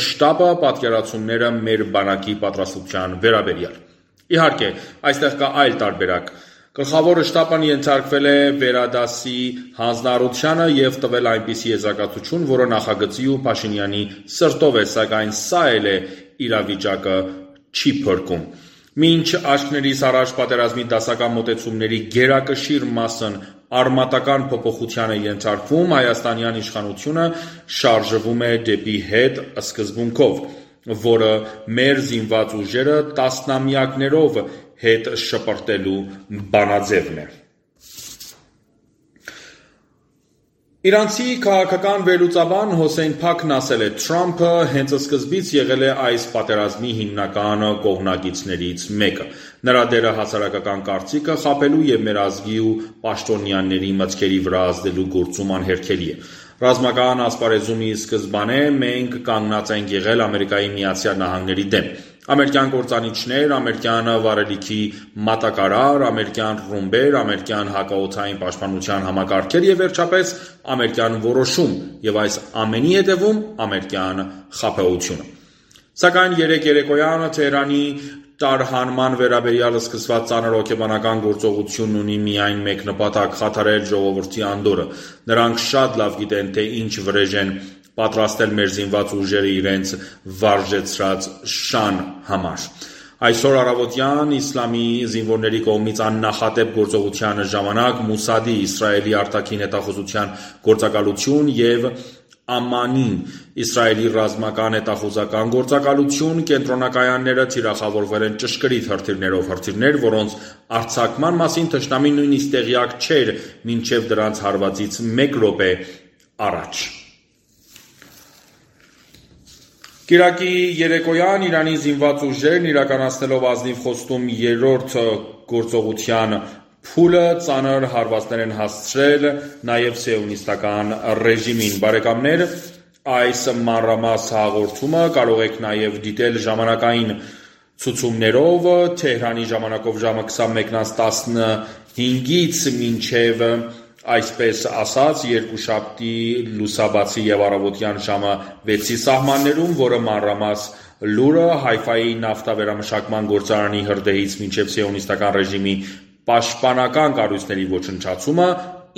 շտաբը, պատկերացումները մեր բանակի պատրաստության վերաբերյալ։ Իհարկե, այստեղ կա այլ տարբերակ։ Գլխավոր շտաբն ենթարկվել է վերադասի հանձնառությանը և տվել այնպիսի եզրակացություն, որը նախագծի ու Փաշինյանի սրտով է, սակայն սա էլ է իրավիճակը չի փրկում։ Մինչ աչքներիս առաջ պատերազմի դասական մոտեցումների գերակշիռ մասն արմատական փոփոխության է ենթարկվում, հայաստանյան իշխանությունը շարժվում է դեպի հետ սկզբունքով, որը մեր զինված ուժերը տասնամյակներով հետ շպրտելու բանաձևն է։ Իրանցի քաղաքական վերլուծաբան Հոսեյն Փաքն ասել է. Թրամփը հենց սկզբից եղել է այս պատերազմի հիմնական կողմնակիցներից մեկը։ Նրա դերը հասարակական կարծիքը խաբելու և մեր ազգի ու պաշտոնյաների մտքերի վրա ազդելու գործում անհերքելի է։ Ռազմական ասպարեզում ի սկզբանե մենք կանգնած ենք եղել Ամերիկայի Միացյալ Նահանգների դեմ։ Ամերիկյան կործանիչներ, ամերիկյան վառելիքի մատակարար, ամերիկյան ռումբեր, ամերիկյան հակաօդային պաշտպանության համակարգեր և վերջապես ամերիկյան որոշում և այս ամենի հետևում ամերիկյան խաբեությունը։ Սակայն երեկոյան Թեհրանի տարհանման վերաբերյալ սկսված ծանր հոգեբանական գործողությունն ունի միայն մեկ նպատակ՝ խաթարել ժողովրդի անդորրը։ Նրանք շատ լավ գիտեն, թե ինչ վրեժ են պատրաստել մեր զինված ուժերը իրենց վարժեցրած շան համար։ Այսօր առավոտյան իսլամի զինվորների կողմից աննախադեպ գործողության ժամանակ Մոսադի, Իսրայելի արտաքին հետախուզության գործակալություն և Ամանին, Իսրայելի ռազմական հետախուզական գործակալություն կենտրոնակայանները թիրախավորվել են ճշգրիտ հրթիռներով, հրթիռներ, որոնց արձակման մասին թշնամին նույնիսկ տեղյակ չէր մինչև դրանց հարվածից 1 րոպե առաջ։ Կիրակի երեկոյան Իրանի զինված ուժերն իրականացնելով ազնիվ խոստում 3-րդ գործողության փուլը ծանր հարվածներ են հասցրել նաև սիոնիստական ռեժիմին։ Բարեկամներ, այս մանրամաս հաղորդումը կարող եք նաև դիտել ժամանակային ցուցումներով Թեհրանի ժամանակով ժամը 21:15-ից մինչև այսպես ասած երկուշաբթի լուսաբացի և առավոտյան ժամը 6-ի սահմաններում, որը մանրամաս լուրը Հայֆայի նավթավերամշակման գործարանի հրդեհից մինչև սիոնիստական ռեժիմի պաշտպանական կառույցների ոչնչացումը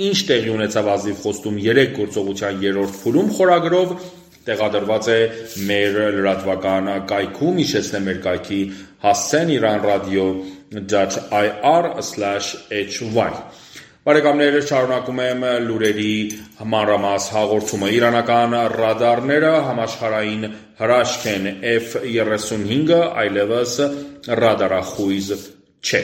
ինչ տեղի ունեցավ ազնիվ խոստում 3 գործողության 3-րդ փուլում խորագրով տեղադրված է մեր լրատվական կայքում, հիշեցնեմ մեր կայքի հասցեն iranradio.ir/hy Բարեկամներ, շարունակում եմ լուրերի մանրամաս հաղորդումը։ Իրանական ռադարները համաշխարհային հրաշք են, F-35-ը այլևս ռադարախույզ չէ։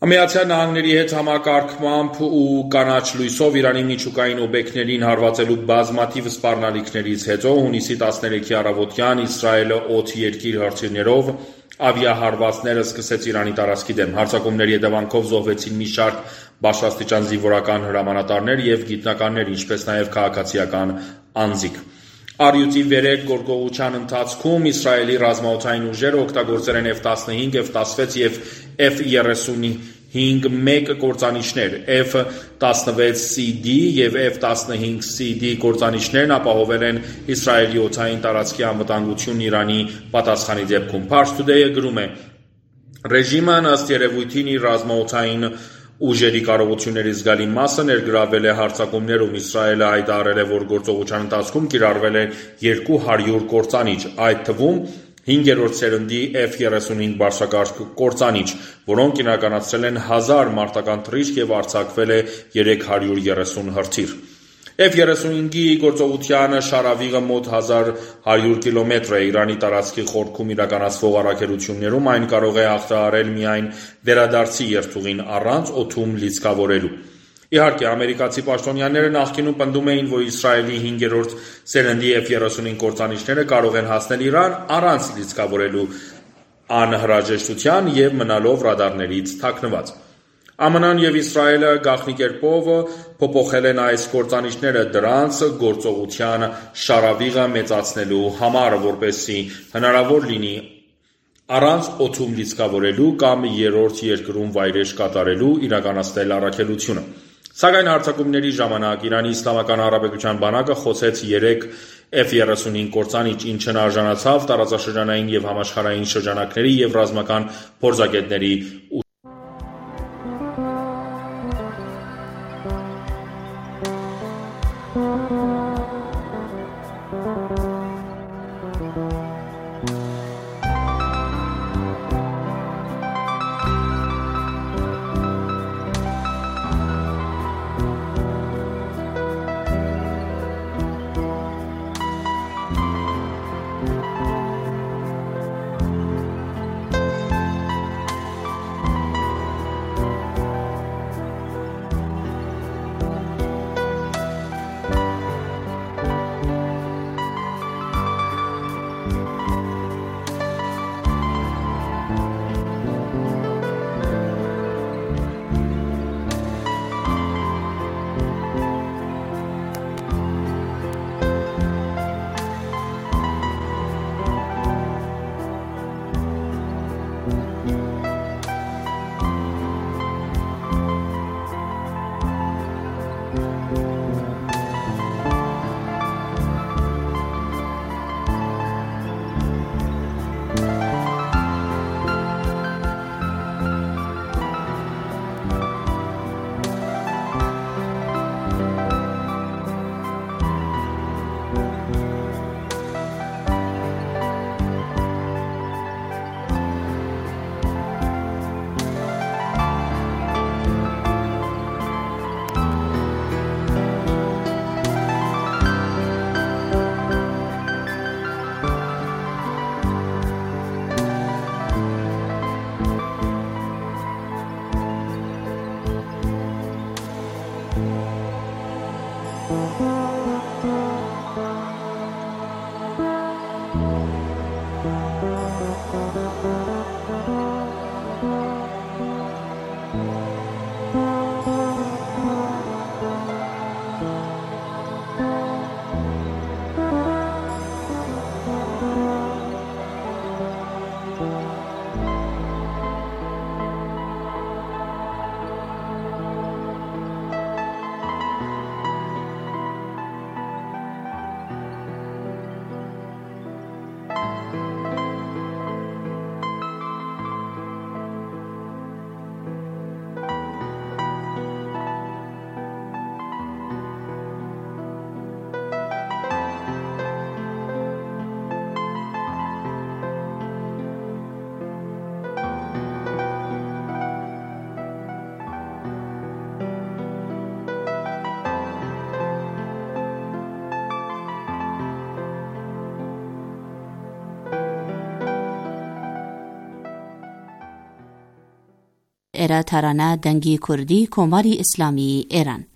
Միացյալ Նահանգների հետ համակարգմամբ ու կանաչ լույսով Իրանի միջուկային օբյեկտներին հարվածելու բազմաթիվ սպառնալիքներից հետո հունիսի 13-ի առավոտյան Իսրայելը օդ-երկիր հրթիռներով ավիահարվածներ սկսեց Իրանի տարածքի դեմ։ Հարձակումների հետևանքով զոհվեցին մի շարք բարձրաստիճան զինվորական հրամանատարներ և գիտնականներ, ինչպես նաև քաղաքացիական անձիկ։ Առյուծի վերև գործողության ընթացքում Իսրայելի ռազմաօդային ուժերը օգտագործել են F-15, F-16 և F-35-1 կործանիչներ, F-16CD և F-15CD կործանիչներն ապահովել են Իսրայելի օդային տարածքի անվտանգությունն Իրանի պատասխանի դեպքում։ Pars Today-ը գրում է. Ռեժիմն ըստ երևույթին իր ռազմաօդային ուժերի կարողությունների զգալի մասը ներգրավել է հարձակումներում։ Իսրայելը հայտարարել է, որ գործողության ընթացքում կիրառվել է 200 կործանիչ, այդ թվում 5-րդ սերնդի F-35 բարձրակարգ կործանիչ, որոնք իրականացրել են 1000 մարտական թռիչք և արձակվել է 330 հրթիռ։ F-35-ի գործողության շարավիղը մոտ 1100 կիլոմետր է։ Իրանի տարածքի խորքում իրականացվող առաքելություններում այն կարող է ախտահարել միայն վերադարձի երթուղին առանց օդում լիցքավորելու։ Իհարկե, ամերիկացի պաշտոնյաները նախկինում պնդում էին, որ Իսրայելի 5-րդ սերնդի F-35 կործանիչները կարող են հասնել Իրան առանց լիցքավորելու անհրաժեշտության և մնալով ռադարներից թաքնված։ ԱՄՆ-ն և Իսրայելը գաղտնի կերպով փոփոխել են այս կործանիչները դրանց գործողության շարավիղը մեծացնելու համար, որպեսզի հնարավոր լինի առանց օդում լիցքավորելու կամ երրորդ երկրում վայրէջք կատարելու իրականացնել առաքելությունը։ Սակայն հարձակումների ժամանակ Իրանի Իսլամական Հանրապետության բանակը խոցեց 3 F-35 կործանիչ, ինչն արժանացավ տարածաշրջանային և համաշխարհային շրջանակների և ռազմական փորձագետների էրա թարանա դնգի քուրդի կոմարի իսլամի էրան